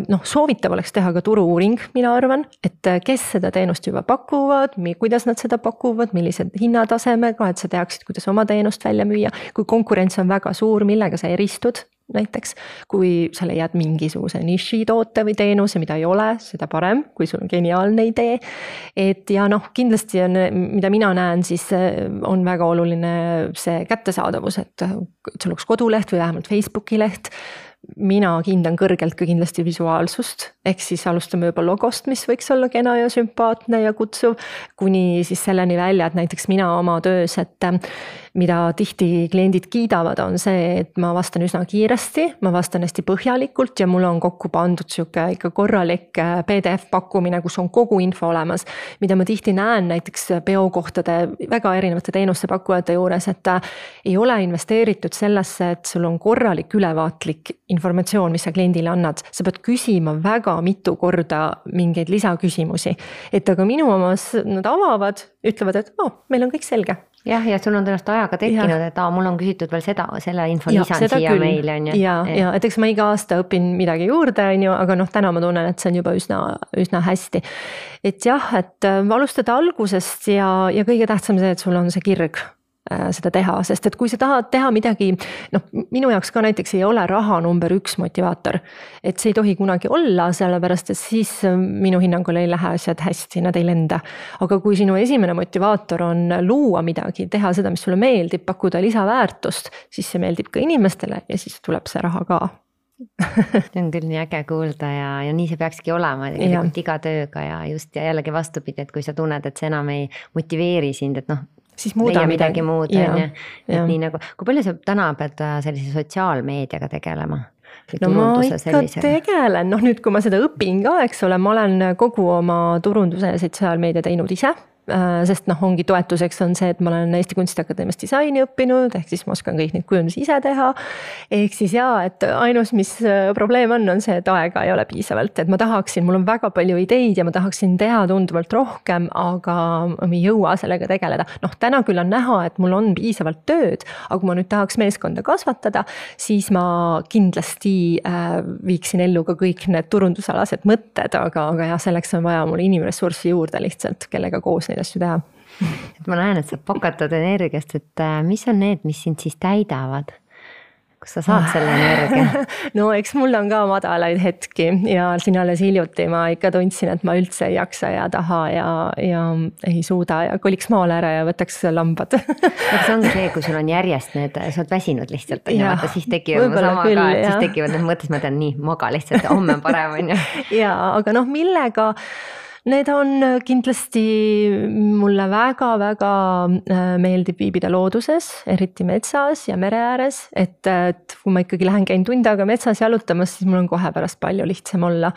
Noh, soovitav oleks teha ka turu-uuring, mina arvan, et kes seda teenust juba pakuvad, kuidas nad seda pakuvad, millised hinnatasemega, et sa teaksid, kuidas oma teenust välja müüa. Kui konkurents on väga suur, millega sa eristud näiteks, kui sa leiad mingisuguse niši toote või teenuse, mida ei ole, seda parem, kui sul on geniaalne idee. Et ja noh, kindlasti on, mida mina näen, siis on väga oluline see kättesaadavus, et sul oleks koduleht või vähemalt Facebooki leht. Mina hindan kõrgelt ka kindlasti visuaalsust, ehk siis alustame juba logost, mis võiks olla kena ja sümpaatne ja kutsuv, kuni siis selleni välja, et näiteks mina oma töös, et mida tihti kliendid kiidavad, on see, et ma vastan üsna kiiresti, ma vastan hästi põhjalikult ja mul on kokku pandud siuke ikka korralik P D F pakkumine, kus on kogu info olemas, mida ma tihti näen näiteks peokohtade väga erinevate teenuste pakkujate juures, et ei ole investeeritud sellesse, et sul on korralik ülevaatlik informatsioon, mis sa kliendile annad. Sa pead küsima väga mitu korda mingeid lisaküsimusi. Et aga minu omas nad avavad, ütlevad, et oh, meil on kõik selge. Jah, ja sul on tõenäoliselt ajaga tekkinud, ja. et aa, mul on küsitud veel seda, selle info lisan siia meile. On ju. Ja, ja, et eks ma iga aasta õpin midagi juurde, on ju, aga noh, täna ma tunnen, et see on juba üsna, üsna hästi. Et jah, et alustada algusest ja, ja kõige tähtsam see, et sul on see kirg seda teha, sest et kui sa tahad teha midagi, noh, minu jaoks ka näiteks ei ole raha number üks motivaator, et see ei tohi kunagi olla, sellepärast et siis minu hinnangul ei lähe asjad hästi, nad ei lenda. Aga kui sinu esimene motivaator on luua midagi, teha seda, mis sulle meeldib, pakkuda lisaväärtust, siis see meeldib ka inimestele ja siis tuleb see raha ka. See on küll nii äge kuulda ja, ja nii see peakski olema tegelikult iga tööga ja just ja jällegi vastupidi, et kui sa tunned, et see enam ei motiveeri sind, et noh, siis leia midagi, midagi muud, on ju. Et nii nagu, kui palju sa täna pead sellise sotsiaalmeediaga tegelema? No ma ikka sellisega tegelen, noh nüüd kui ma seda õpin ka, eks ole, ma olen kogu oma turunduse ja sotsiaalmeedia teinud ise. Sest noh, ongi toetuseks on see, et ma olen Eesti Kunstiakadeemias disaini õppinud, ehk siis ma oskan kõik neid kujundusi ise teha. Ehk siis jaa, et ainus, mis probleem on, on see, et aega ei ole piisavalt, et ma tahaksin, mul on väga palju ideid ja ma tahaksin teha tunduvalt rohkem, aga ma ei jõua sellega tegeleda. Noh, täna küll on näha, et mul on piisavalt tööd, aga kui ma nüüd tahaks meeskonda kasvatada, siis ma kindlasti äh, viiksin ellu ka kõik need turundusalased mõtted, aga, aga jah, selleks on vaja mul inimressurssi juurde lihtsalt, kellega koos neid asju teha. Et ma näen, et sa pakatad energiast, et mis on need, mis sind siis täidavad? Kus sa saad selle energia? No eks mul on ka madalaid hetki ja siin alles hiljuti ma ikka tundsin, et ma üldse ei jaksa ja taha ja, ja ei suuda ja koliks maale ära ja võtaks lambad. Aga see ongi see, kui sul on järjest need, sa oled väsinud lihtsalt, ja, vaata, siis tekivad sama küll, ka, et siis tekivad need mõttes, ma tean nii, maga lihtsalt, homme on parem, on ju. Ja, aga noh, millega need on kindlasti mulle väga-väga meeldib viibida looduses, eriti metsas ja mere ääres, et, et kui ma ikkagi lähen käin tund aega metsas jalutamas, siis mul on kohe pärast palju lihtsam olla.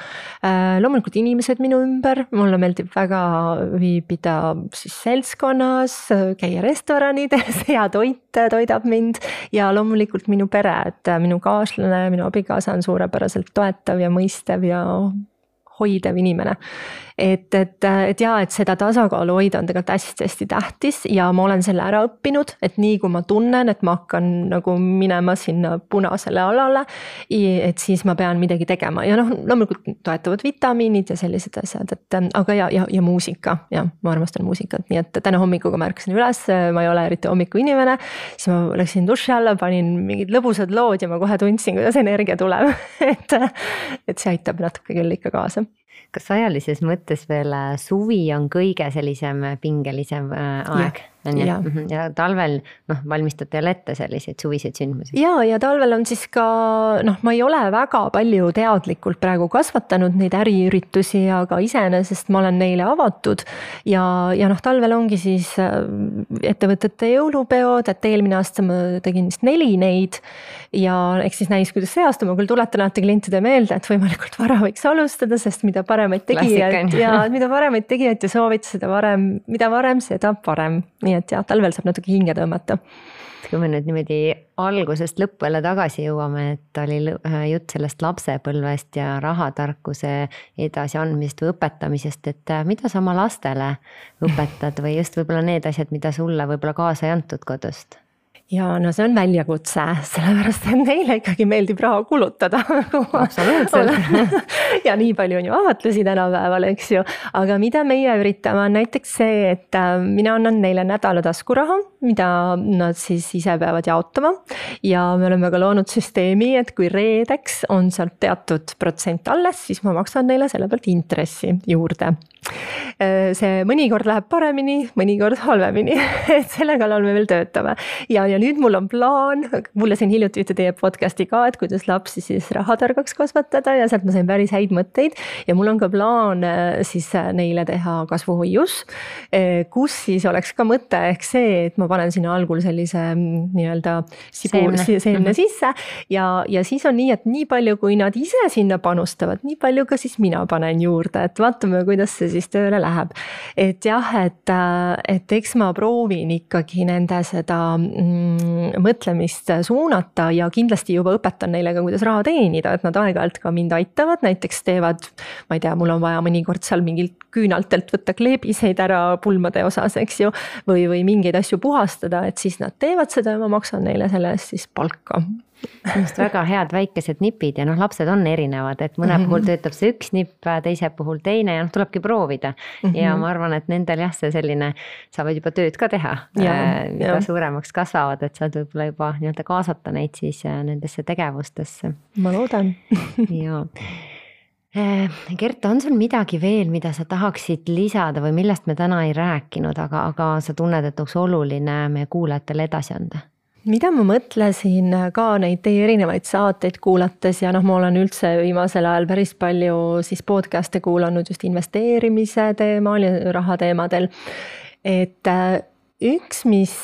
Loomulikult inimesed minu ümber, mulle meeldib väga viibida siis seltskonnas, käia restoranides, hea toit toidab mind ja loomulikult minu pere, et minu kaaslane, minu abikaasa on suurepäraselt toetav ja mõistev ja hoidev inimene. et, et, et jaa, et seda tasakaalu hoida on tegelikult hästi-hästi tähtis ja ma olen selle ära õppinud, et nii kui ma tunnen, et ma hakkan nagu minema sinna punasele alale, et siis ma pean midagi tegema ja noh, loomulikult toetavad vitamiinid ja sellised asjad, et aga ja, ja, ja muusika, ja ma armastan muusikat, nii et täna hommikuga ma ärkasin üles, ma ei ole eriti hommiku inimene, siis ma läksin duši alla, panin mingid lõbusad lood ja ma kohe tundsin, kuidas energia tuleb, et, et see aitab natuke küll ikka kaasa. Kas ajalises mõttes veel suvi on kõige sellisem pingelisem aeg? Ja, ja talvel noh, valmistate jälle ette selliseid suviseid sündmusi. Ja, ja talvel on siis ka, noh, ma ei ole väga palju teadlikult praegu kasvatanud neid äriüritusi, aga iseenesest ma olen neile avatud ja, ja noh, talvel ongi siis ettevõtete jõulupeod, et eelmine aasta ma tegin vist neli neid ja eks siis näis, kuidas see aasta, ma küll tuletan alati klientide meelde, et võimalikult vara võiks alustada, sest mida paremaid tegijaid ja mida paremaid tegijaid ja soovita, seda varem, mida varem, seda parem. Nii et jah, talvel saab natuke hinge tõmmata. Kui me nüüd niimoodi algusest lõppu jälle tagasi jõuame, et oli jutt sellest lapsepõlvest ja rahatarkuse edasi andmisest või õpetamisest, et mida sa oma lastele õpetad või just võib-olla need asjad, mida sulle võib-olla kaasa ei antud kodust? Ja no see on väljakutse, sellepärast et neile ikkagi meeldib raha kulutada. Absoluutselt. Ja nii palju on ju avatlusi tänapäeval, eks ju. Aga mida meie üritame on näiteks see, et mina annan neile nädala taskuraha, mida nad siis ise peavad jaotama. Ja me oleme ka loonud süsteemi, et kui reedeks on sealt teatud protsent alles, siis ma maksan neile selle pealt intressi juurde. See mõnikord läheb paremini, mõnikord halvemini, et selle kallal me veel töötame. Ja, ja nüüd mul on plaan, mulle siin hiljuti ühte teie podcasti ka, et kuidas lapsi siis rahatargaks kasvatada ja sealt ma sain päris häid mõtteid. Ja mul on ka plaan siis neile teha kasvuhoius, kus siis oleks ka mõte ehk see, et ma panen sinna algul sellise nii-öelda sibul, seemne, seemne sisse ja, ja siis on nii, et nii palju, kui nad ise sinna panustavad, nii palju ka siis mina panen juurde, et vaatame, kuidas see siis tööle läheb. Et jah, et, et eks ma proovin ikkagi nende seda mm, mõtlemist suunata ja kindlasti juba õpetan neile ka, kuidas raha teenida, et nad aeg-ajalt ka mind aitavad, näiteks teevad, ma ei tea, mul on vaja mõnikord seal mingilt küünaltelt võtta kleebiseid ära pulmade osas, eks ju, või, või mingeid asju puhastada, et siis nad teevad seda ja ma maksan neile selle eest siis palka. Just väga head väikesed nipid ja noh, lapsed on erinevad, et mõne mm-hmm. puhul töötab see üks nipp, teise puhul teine ja noh, tulebki proovida. Mm-hmm. Ja ma arvan, et nendel jah, see selline, saavad juba tööd ka teha, ja, mida ja. Suuremaks kasvavad, et saad võib-olla juba nii-öelda kaasata neid siis nendesse tegevustesse. Ma loodan. Ja. Gert, on sul midagi veel, mida sa tahaksid lisada või millest me täna ei rääkinud, aga, aga sa tunned, et oleks oluline meie kuulajatele edasi anda? Mida ma mõtlesin ka neid teie erinevaid saateid kuulates ja noh, ma olen üldse viimasel ajal päris palju siis podcast'e kuulanud just investeerimise teemal ja raha teemadel. Et üks, mis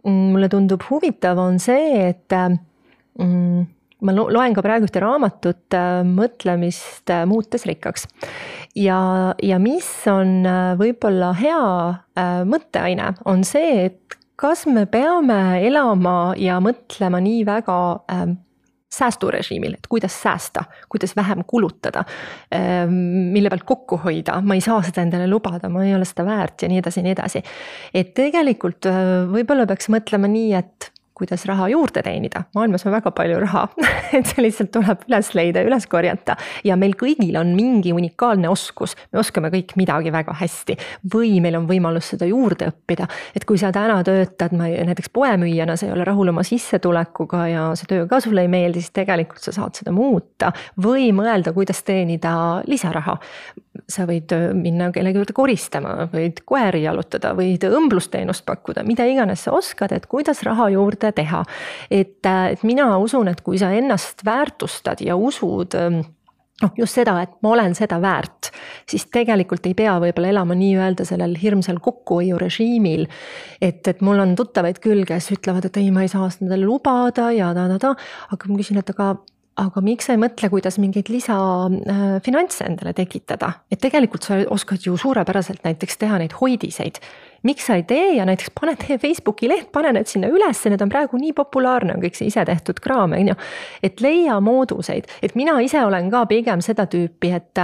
mulle tundub huvitav, on see, et ma loen ka praegu ühte raamatut mõtlemist muutes rikkaks. Ja, ja mis on võib-olla hea mõtteaine, on see, et kas me peame elama ja mõtlema nii väga ähm, säästurežiimil, et kuidas säästa, kuidas vähem kulutada, ähm, mille pealt kokku hoida, ma ei saa seda endale lubada, ma ei ole seda väärt ja nii edasi, nii edasi. Et tegelikult äh, võib-olla peaks mõtlema nii, et kuidas raha juurde teenida. Maailmas on väga palju raha, et see lihtsalt tuleb üles leida, üles korjata ja meil kõigil on mingi unikaalne oskus. Me oskame kõik midagi väga hästi või meil on võimalus seda juurde õppida. Et kui sa täna töötad, ma näiteks poemüüjana, sa ei ole rahul oma sissetulekuga ja see töö ka sulle ei meeldi, siis tegelikult sa saad seda muuta või mõelda, kuidas teenida lisaraha. Sa võid minna kellegi juurde koristama, võid koeri jalutada, võid õmblusteenust pakkuda, mida iganes sa oskad, et kuidas raha juurde teha. Et, et mina usun, et kui sa ennast väärtustad ja usud noh, just seda, et ma olen seda väärt, siis tegelikult ei pea võib-olla elama nii-öelda sellel hirmsal kokkuhoiu režiimil, et, et mul on tuttavaid küll, kes ütlevad, et ei, ma ei saa seda lubada ja ta, ta, ta, aga ma küsin, et aga Aga miks sa ei mõtle, kuidas mingeid lisa finantse endale tekitada? Et tegelikult sa oskad ju suurepäraselt näiteks teha neid hoidiseid. Miks sa ei tee ja näiteks pane tee Facebooki leht, pane need sinna üles, need on praegu nii populaarne, on kõik see ise tehtud kraam. Et leia mooduseid, et mina ise olen ka pigem seda tüüpi, et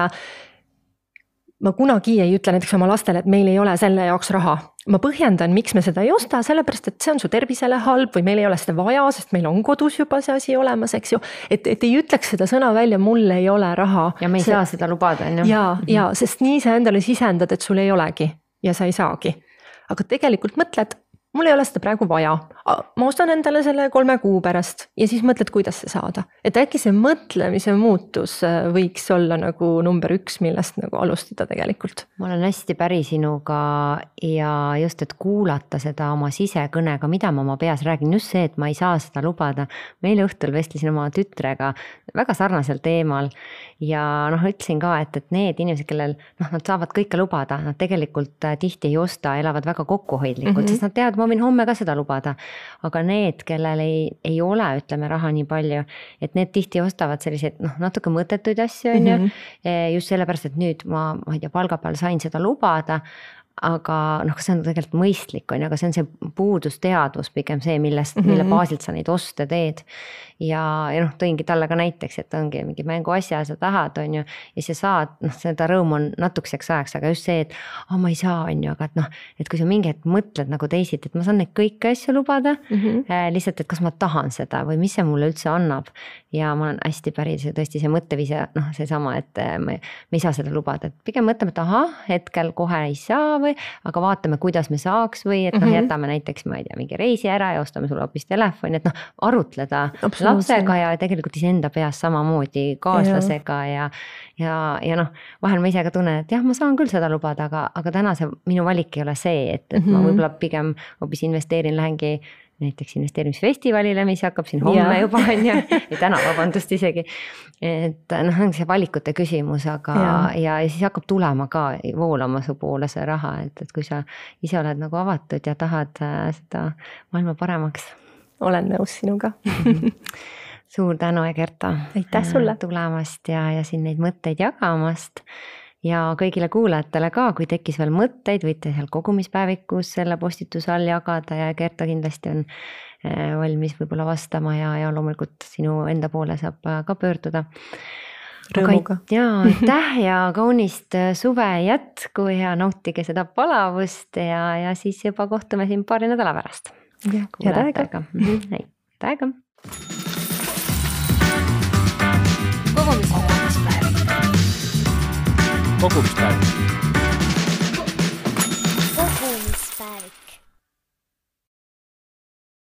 ma kunagi ei ütle näiteks oma lastele, et meil ei ole selle jaoks raha. Ma põhjendan, miks me seda ei osta, sellepärast, et see on su tervisele halb või meil ei ole seda vaja, sest meil on kodus juba see asi olemas, eks ju. Et, et ei ütleks seda sõna välja, mul ei ole raha. Ja me ei see... saa seda lubada. Ja, mm-hmm. ja, sest nii sa endale sisendad, et sul ei olegi ja sa ei saagi. Aga tegelikult mõtled, mul ei ole seda praegu vaja. Ma ostan endale selle kolme kuu pärast ja siis mõtled, kuidas see saada. Et äkki see mõtlemise muutus võiks olla nagu number üks, millest nagu alustada tegelikult. Ma olen hästi päri sinuga ja just, et kuulata seda oma sisekõnega, mida ma oma peas räägin, just see, et ma ei saa seda lubada. Meil õhtul vestlesin oma tütrega väga sarnasel teemal ja noh, ütlesin ka, et, et need inimesed, kellel noh, nad saavad kõike lubada, nad tegelikult tihti ei osta, elavad väga kokkuhoidlikult, mm-hmm. sest nad teavad, ma võin homme ka seda lubada. Aga need, kellel ei, ei ole, ütleme, raha nii palju, et need tihti ostavad selliseid noh, natuke mõttetuid asju, on ju, mm-hmm. just sellepärast, et nüüd ma, ma ei tea, palga peal sain seda lubada, aga noh, see on tegelikult mõistlik, on, aga see on see puudusteadvus pigem see, millest, mm-hmm. mille baasilt sa neid oste teed. Ja, ja noh, tõingi talle ka näiteks, et ongi mingi mängu asja, sa tahad, on ju, ja sa saad, noh, seda rõõm on natukeseks ajaks, aga just see, et oh, ma ei saa, on ju, aga et noh, et kui sa mingi hetk mõtled nagu teisid, et ma saan neid kõiki asju lubada, mm-hmm. äh, lihtsalt, et kas ma tahan seda või mis see mulle üldse annab. Ja ma olen hästi päri, see tõesti see mõtteviise, noh, see sama, et me, me ei saa seda lubada, et pigem mõtleme, et aha, hetkel kohe ei saa või, aga vaatame, kuidas me saaks või, et noh, mm-hmm. jätame näiteks, ma ei tea, mingi reisi ära ja ostame sulle hoopis telefoni, et noh, arutleda lapsega ja tegelikult iseenda peas samamoodi kaaslasega ja, ja, ja noh, vahel ma ise ka tunnen, et jah, ma saan küll seda lubada, aga, aga täna see minu valik ei ole see, et, et mm-hmm. ma võib-olla pigem hoopis investeerin, lähengi näiteks investeerimisfestivalile, mis hakkab siin homme ja. Juba on ja, ja täna vabandust isegi. Et noh, on see valikute küsimus, aga ja. Ja, ja siis hakkab tulema ka voolama su poole see raha, et, et kui sa ise oled nagu avatud ja tahad seda maailma paremaks. Olen nõus sinuga. Suur tänu, Egerta. Aitäh sulle. Tulemast ja, ja siin neid mõtteid jagamast. Ja kõigile kuulajatele ka, kui tekkis veel mõtteid, võite seal kogumispäevikus selle postituse all jagada ja Egerta kindlasti on valmis võib-olla vastama ja, ja loomulikult sinu enda poole saab ka pöörduda. Rõõmuga. Ja, aitäh ja kaunist suve jätku ja nautige seda palavust ja, ja siis juba kohtume siin paari nädala pärast. Ja, head aega. Head aega. Kogumispäev. Kogumispäev.